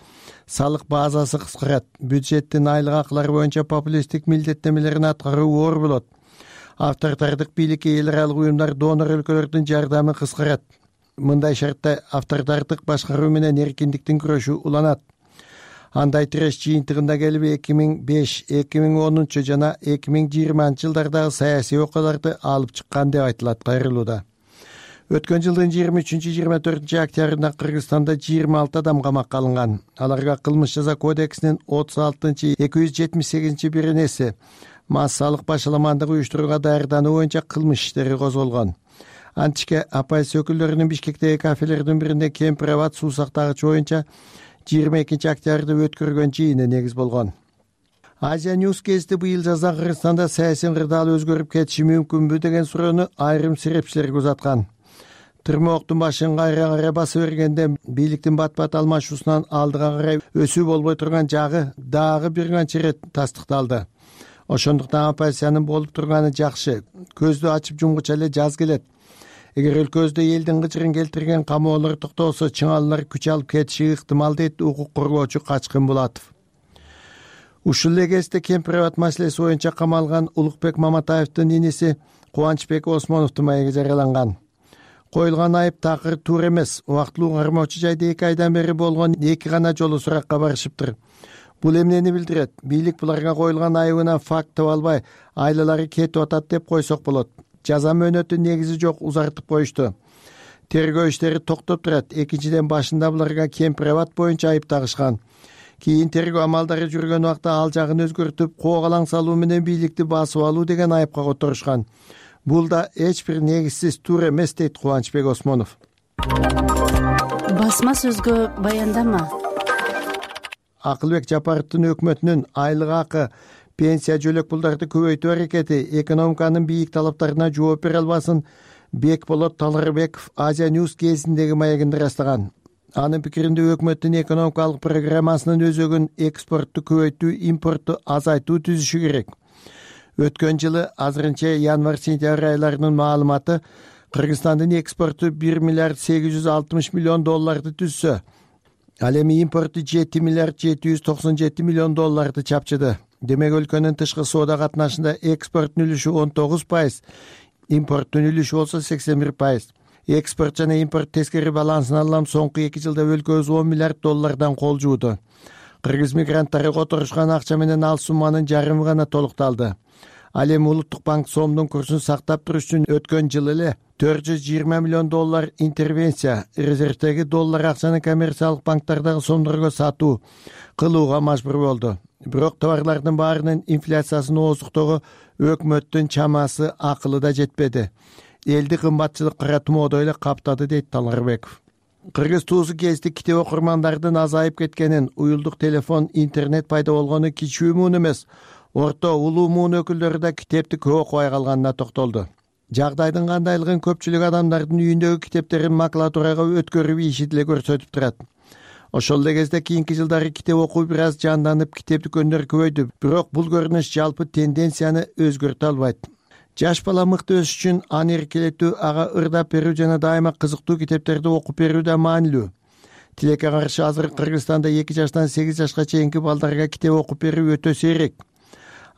салык базасы кыскарат. Бюджеттин айлык акылары боюнча популисттик милдеттемелерин аткаруу оор болот. Авторитардык бийликке эл аралык уюмдар, донор өлкөлөрдүн жардамы кыскарат. Мындай шартта авторитардык башкаруу менен эркиндиктин күрөшү уланат. Андай тиреш жыйынтыгында келип эки миң беш, эки миң онунчу жана эки миң жыйырманчы жылдардагы саясий окуяларды алып чыккан деп айтылат кайрылууда. Өткөн жылдын жыйырма үчүнчү жыйырма төртүнчү октябрында Кыргызстанда жыйырма алты адам камакка алынган. Аларга кылмыш жаза кодексинин отуз алтынчы эки жүз жетимиш сегизинчи беренеси массалык башаламандык уюштурууга даярдануу боюнча кылмыш иштери козголгон. Античке оппозиция өкүлдөрүнүн Бишкектеги кафелердин биринде Кемпир абад суу сактагыч боюнча жыйырма экинчи октябрда өткөргөн жыйыны негиз болгон. Азия News гезити быйыл жазда Кыргызстанда саясий ырдаал өзгөрүп кетиши мүмкүнбү деген суроону айрым серепчилерге узаткан. Тырмооктун башын кайра кайра баса бергенде бийликтин бат-бат алмашуусунан алдыга карай өсүү болбой турган жагы дагы бир канча ирет тастыкталды. Ошондуктан оппозициянын болуп турганы жакшы. Көздү ачып жумгуча эле жаз келет. Эгер өлкөбүздө элдин кычырын келтирген камоолор токтолсо, чыңалуулар күч алып кетиши ыктымал, дейт укук коргоочу Качкын Булатов. Ушул эле кезде Кемпир абад маселеси боюнча камалган Улукбек Маматаевдин иниси Кубанычбек Осмоновдун маеги жарыяланган. Коюлган айып такыр туура эмес. Убактылуу кармоочу жайда эки айдан бери болгон эки гана жолу суракка барышыптыр. Бул эмнени билдирет? Бийлик буларга коюлган айыбына факт таба албай, айлалары кетип атат деп койсок болот. Жаза мөөнөтү негизи жок, узартып коюшту. Тергөө иштери токтоп турат. Экинчиден башында буларга Кемпир абад боюнча айып тагышкан. Кийин тергөө амалдары жүргөн убакта ал жагын өзгөртүп, коогалаң салуу менен бийликти басып алуу деген айыпка которушкан. Бул да эч бир негизсиз, туура эмес, дейт Кубанычбек Осмонов. Басма сөзгө баяндама. Акылбек Жапаровдун өкмөтүнүн айлык акы, пенсия жөлөк пулдарды көбөйтүү аракети экономиканын бийик талаптарына жооп бере албасын Бекболот Таларбеков Азия News гезитиндеги маегинде ырастаган. Анын пикиринде өкмөттүн экономикалык программасынын өзөгүн экспортту көбөйтүү, импортту азайтуу түзүшү керек. Өткөн жылы азырынча январь-сентябрь айларынын маалыматы Кыргызстандын экспорту бир миллиард сегиз жүз алтымыш миллион долларды түзсө, ал эми импорту жети миллиард жети жүз токсон жети миллион долларды чапчыды. Демек өлкөнүн тышкы соода катнашында экспорттун үлүшү он тогуз пайыз, импорттун үлүшү болсо сексен бир пайыз. Экспорт жана импорт тескери балансын алам соңку эки жылда өлкөбүз он миллиард доллардан кол жууду. Кыргыз мигранттары которушкан акча менен ал сумманын жарымы гана толукталды. Ал эми Улуттук банк сомдун курсун сактап туруш үчүн өткөн жылы эле төрт жүз жыйырма миллион доллар интервенция, резервдеги доллар акчаны коммерциялык банктардагы сомдорго сатуу кылууга мажбур болду. Бирок товарлардын баарынын инфляциясын ооздуктоого өкмөттүн чамасы, акылы да жетпеди. Элди кымбатчылык кара тумоодой эле каптады, дейт Таларбеков. Кыргыз туусу гезити китеп окурмандардын азайып кеткенин, уюлдук телефон, интернет пайда болгону кичүү муун эмес, орто, улуу муун өкүлдөрү да китепти көп окубай калганына токтолду. Жагдайдын кандайлыгын көпчүлүк адамдардын үйүндөгү китептерин макулатурага өткөрүп ийиши деле көрсөтүп турат. Ошол эле кезде кийинки жылдары китеп окуу бир аз жанданып, китеп дүкөндөр көбөйдү, бирок бул көрүнүш жалпы тенденцияны өзгөртө албайт. Жаш бала мыкты өсүш үчүн аны эркелетүү, ага ырдап берүү жана дайыма кызыктуу китептерди окуп берүү да маанилүү. Тилекке каршы азыр Кыргызстанда эки жаштан сегиз жашка чейинки балдарга китеп окуп берүү өтө сейрек.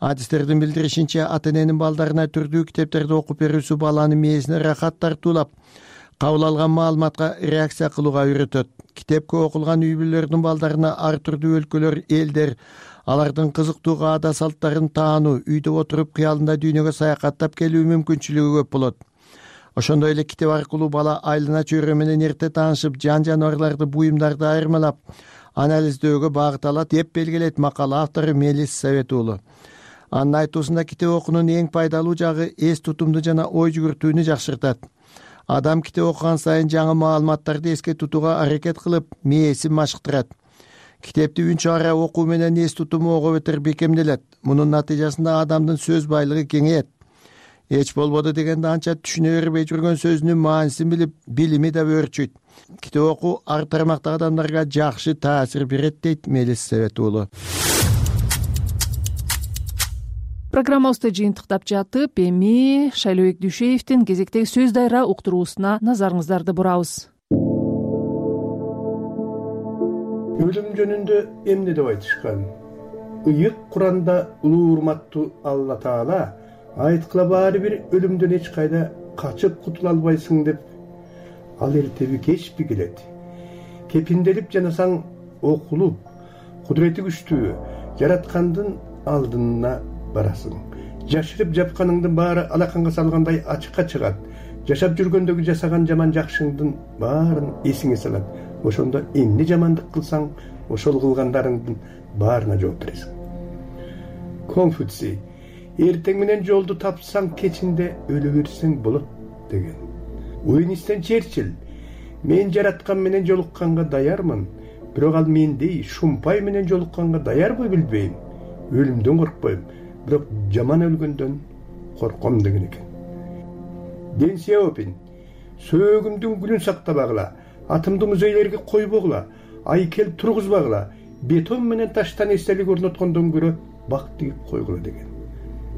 Адистердин билдиришинче, ата-эненин балдарына түрдүү китептерди окуп берүүсү баланын мээсине рахат тартуулап, кабыл алган маалыматка реакция кылууга үйрөтөт. Китепке окулган үй бүлөлөрдүн балдарына ар түрдүү өлкөлөр, элдер, алардын кызыктуу аада салттарын таануу, үйдө отуруп кыялында дүйнөгө саякаттап келүү мүмкүнчүлүгү көп болот. Ошондой эле китеп аркылуу бала айлана чөйрө менен эрте таанышып, жан жаныбарларды, буюмдарды айырмалап анализдөөгө багыт алат деп белгилейт макала автору Мелис Совет уулу. Анын айтуусунда китеп окуунун эң пайдалуу жагы эс тутумду жана ой жүгүртүүнү жакшыртат. Адам китеп окуган сайын жаңы маалыматтарды эске тутууга аракет кылып, мээсин машыктырат. Китепти үнчү ара окуу менен эс тутуму ого бетер бекемделет. Мунун натыйжасында адамдын сөз байлыгы кеңейет. Эч болбоду дегенде анча түшүнө бербей жүргөн сөзүнүн маанисин билип, билими да өөрчүйт. Китеп окуу ар тармактагы адамдарга жакшы таасир берет, дейт Мелис Совет уулу. Программабызды жыйынтыктап жатып, эми Шайлообек Дүйшеевдин кезектеги сөз дайра уктуруусуна назарыңыздарды бурабыз. Өлүм жөнүндө эмне деп айтышкан? Ыйык Куранда улуу урматтуу Алла Таала айткыла баары бир өлүмдөн эч кайда качып кутула албайсың деп, ал эртеби кечпи келет. Кепинделип жанасаң окулуп, кудурети күчтүү жараткандын алдына барасың. Жашырып жапканыңдын баары алаканга салгандай ачыкка чыгат. Жашап жүргөндөгү жасаган жаман жакшыңдын баарын эсиңе салат. Ошондо эмне жамандык кылсаң, ошол кылгандарыңдын баарына жооп бересиң. Конфуций: эртең менен жолду тапсаң, кечинде өлө берсең болот деген. Уинстон Черчилль: мен жараткан менен жолукканга даярмын, бирок ал мендей шумпай менен жолукканга даярбы билбейм. Өлүмдөн коркпойм, бирок жаман өлгөндөн корком деген экен. Дэн Сяопин: сөөгүмдүн гүлүн сактабагыла, атымды музейлерге койбогула, айкел тургузбагыла, бетон менен таштан эстелик орноткондон көрө бак тигип койгула деген.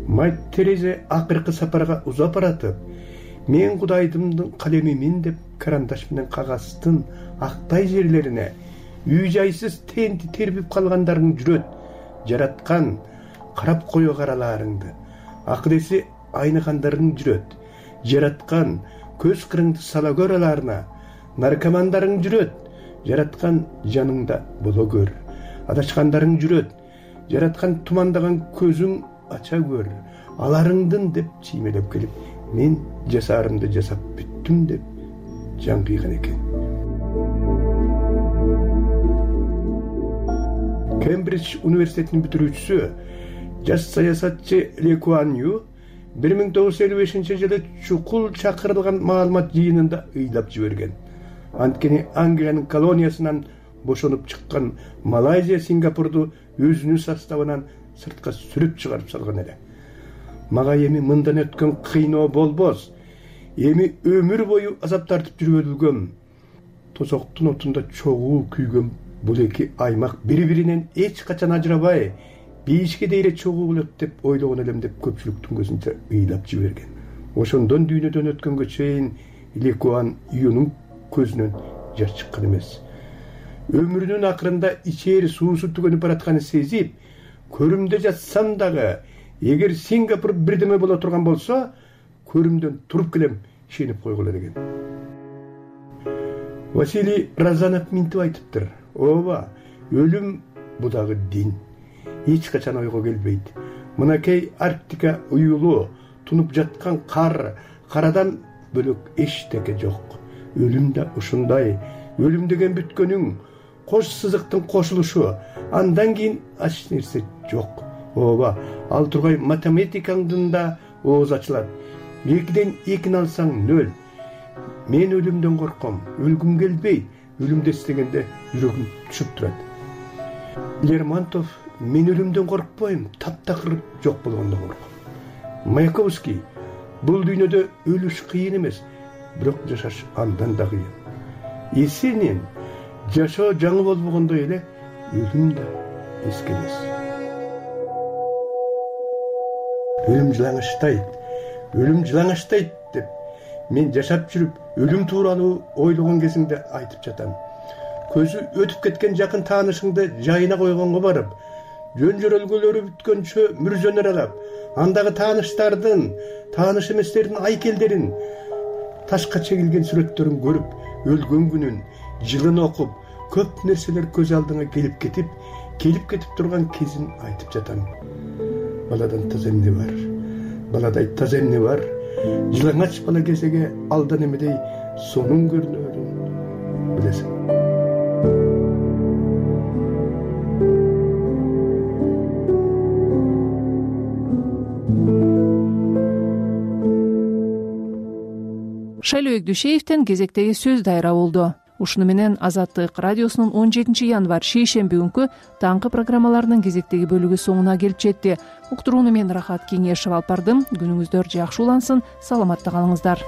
Мать Терезе акыркы сапарга узап баратып, мен Кудайдымдын калемимин деп карандаш менен кагаздын актай жерлерине үй жайсыз тенти тербип калгандарың жүрөт. Жараткан карап кое караларыңды, акыдеси айныгандарың жүрөт. Жараткан көз кырыңды сала көр аларына, наркомандарың жүрөт. Жараткан жаныңда боло көр. Адашкандарың жүрөт. Жараткан тумандаган көзүң ача көр. Аларыңдын деп чиймелеп келип, мен жасаарымды жасап бүттүм деп жан кыйган экен. Кембридж университетинин бүтүрүүчүсү, жаш саясатчы Ли Куан Ю бир миң тогуз жүз элүү бешинчи жылы чукул чакырылган маалымат жыйынында ыйлап жиберген. Анткени Англиянын колониясынан бошонуп чыккан Малайзия Сингапурду өзүнүн составынан сыртка сүрүп чыгарып салган эле. Мага эми мындан өткөн кыйноо болбос. Эми өмүр бою азап тартып жүрүп өлгөм. Тозоктун отунда чогуу күйгөн бул эки аймак бири-биринен эч качан ажырабай, бейишке дейре чогуу болот деп ойлогон элем деп көпчүлүктүн көзүнчө ыйлап жиберген. Ошондон дүйнөдөн өткөнгө чейин Ли Куан Юнун көзүнөн жаш чыккан эмес. Өмүрүнүн акырында ичери суусу түгөнүп баратканын сезип, көрүмдө жатсам дагы, эгер Сингапур бирдеме боло турган болсо, көрүмдөн туруп келем, ишенип койгула деген. Василий Разанов минтип айтыптыр: ооба, өлүм бу дагы дин. Эч качан ойго келбейт. Мынакей Арктика уюлу, тунуп жаткан кар, карадан бөлөк эчтеке жок. Өлүм да ушундай. Өлүм деген бүткөнүң, кош сызыктын кошулушу, андан кийин ач нерсе жок. Ооба, ал тургай математикаңдын да ооз ачылат. Экиден экини алсаң нөл. Мен өлүмдөн корком, өлгүм келбейт. Өлүмдү эстегенде жүрөгүм түшүп турат. Лермонтов: мен өлүмдөн коркпойм, таптакыр жок болгондон корком. Маяковский: бул дүйнөдө өлүш кыйын эмес, бирок жашаш андан да кыйын. Есенин: жашоо жаңы болбогондой эле, өлүм да эски эмес. Өлүм жылаңаштайт, өлүм жылаңаштайт деп мен жашап жүрүп өлүм тууралуу ойлогон кезимде айтып жатам. Көзү өтүп кеткен жакын таанышыңды жайына койгонго барып, жөн жөрөлгөлөрү бүткөнчө мүрзөнөр алап, андагы тааныштардын, тааныш эместердин айкелдерин ташка чегилген сүрөттөрүн көрүп, өлгөн күнүн, жылын окуп, көп нерселер көз алдыңа келип кетип, келип кетип турган кезин айтып жатам. Баладан таза эмне бар? Баладай таза эмне бар? Жылаңач бала кезеге алдан эмедей сонун көрүнөрүн билесиң. Шайлоо Өгдүшеевден кезектеги сөз дайра болду. Ушуну менен Азаттык радиосунун он жетинчи январь шейшемби күнкү таңкы программаларынын кезектеги бөлүгү соңуна келип жетти. Уктурууну мен Рахат Кеңешев алып бардым. Күнүңүздөр жакшы улансын, саламатта калыңыздар.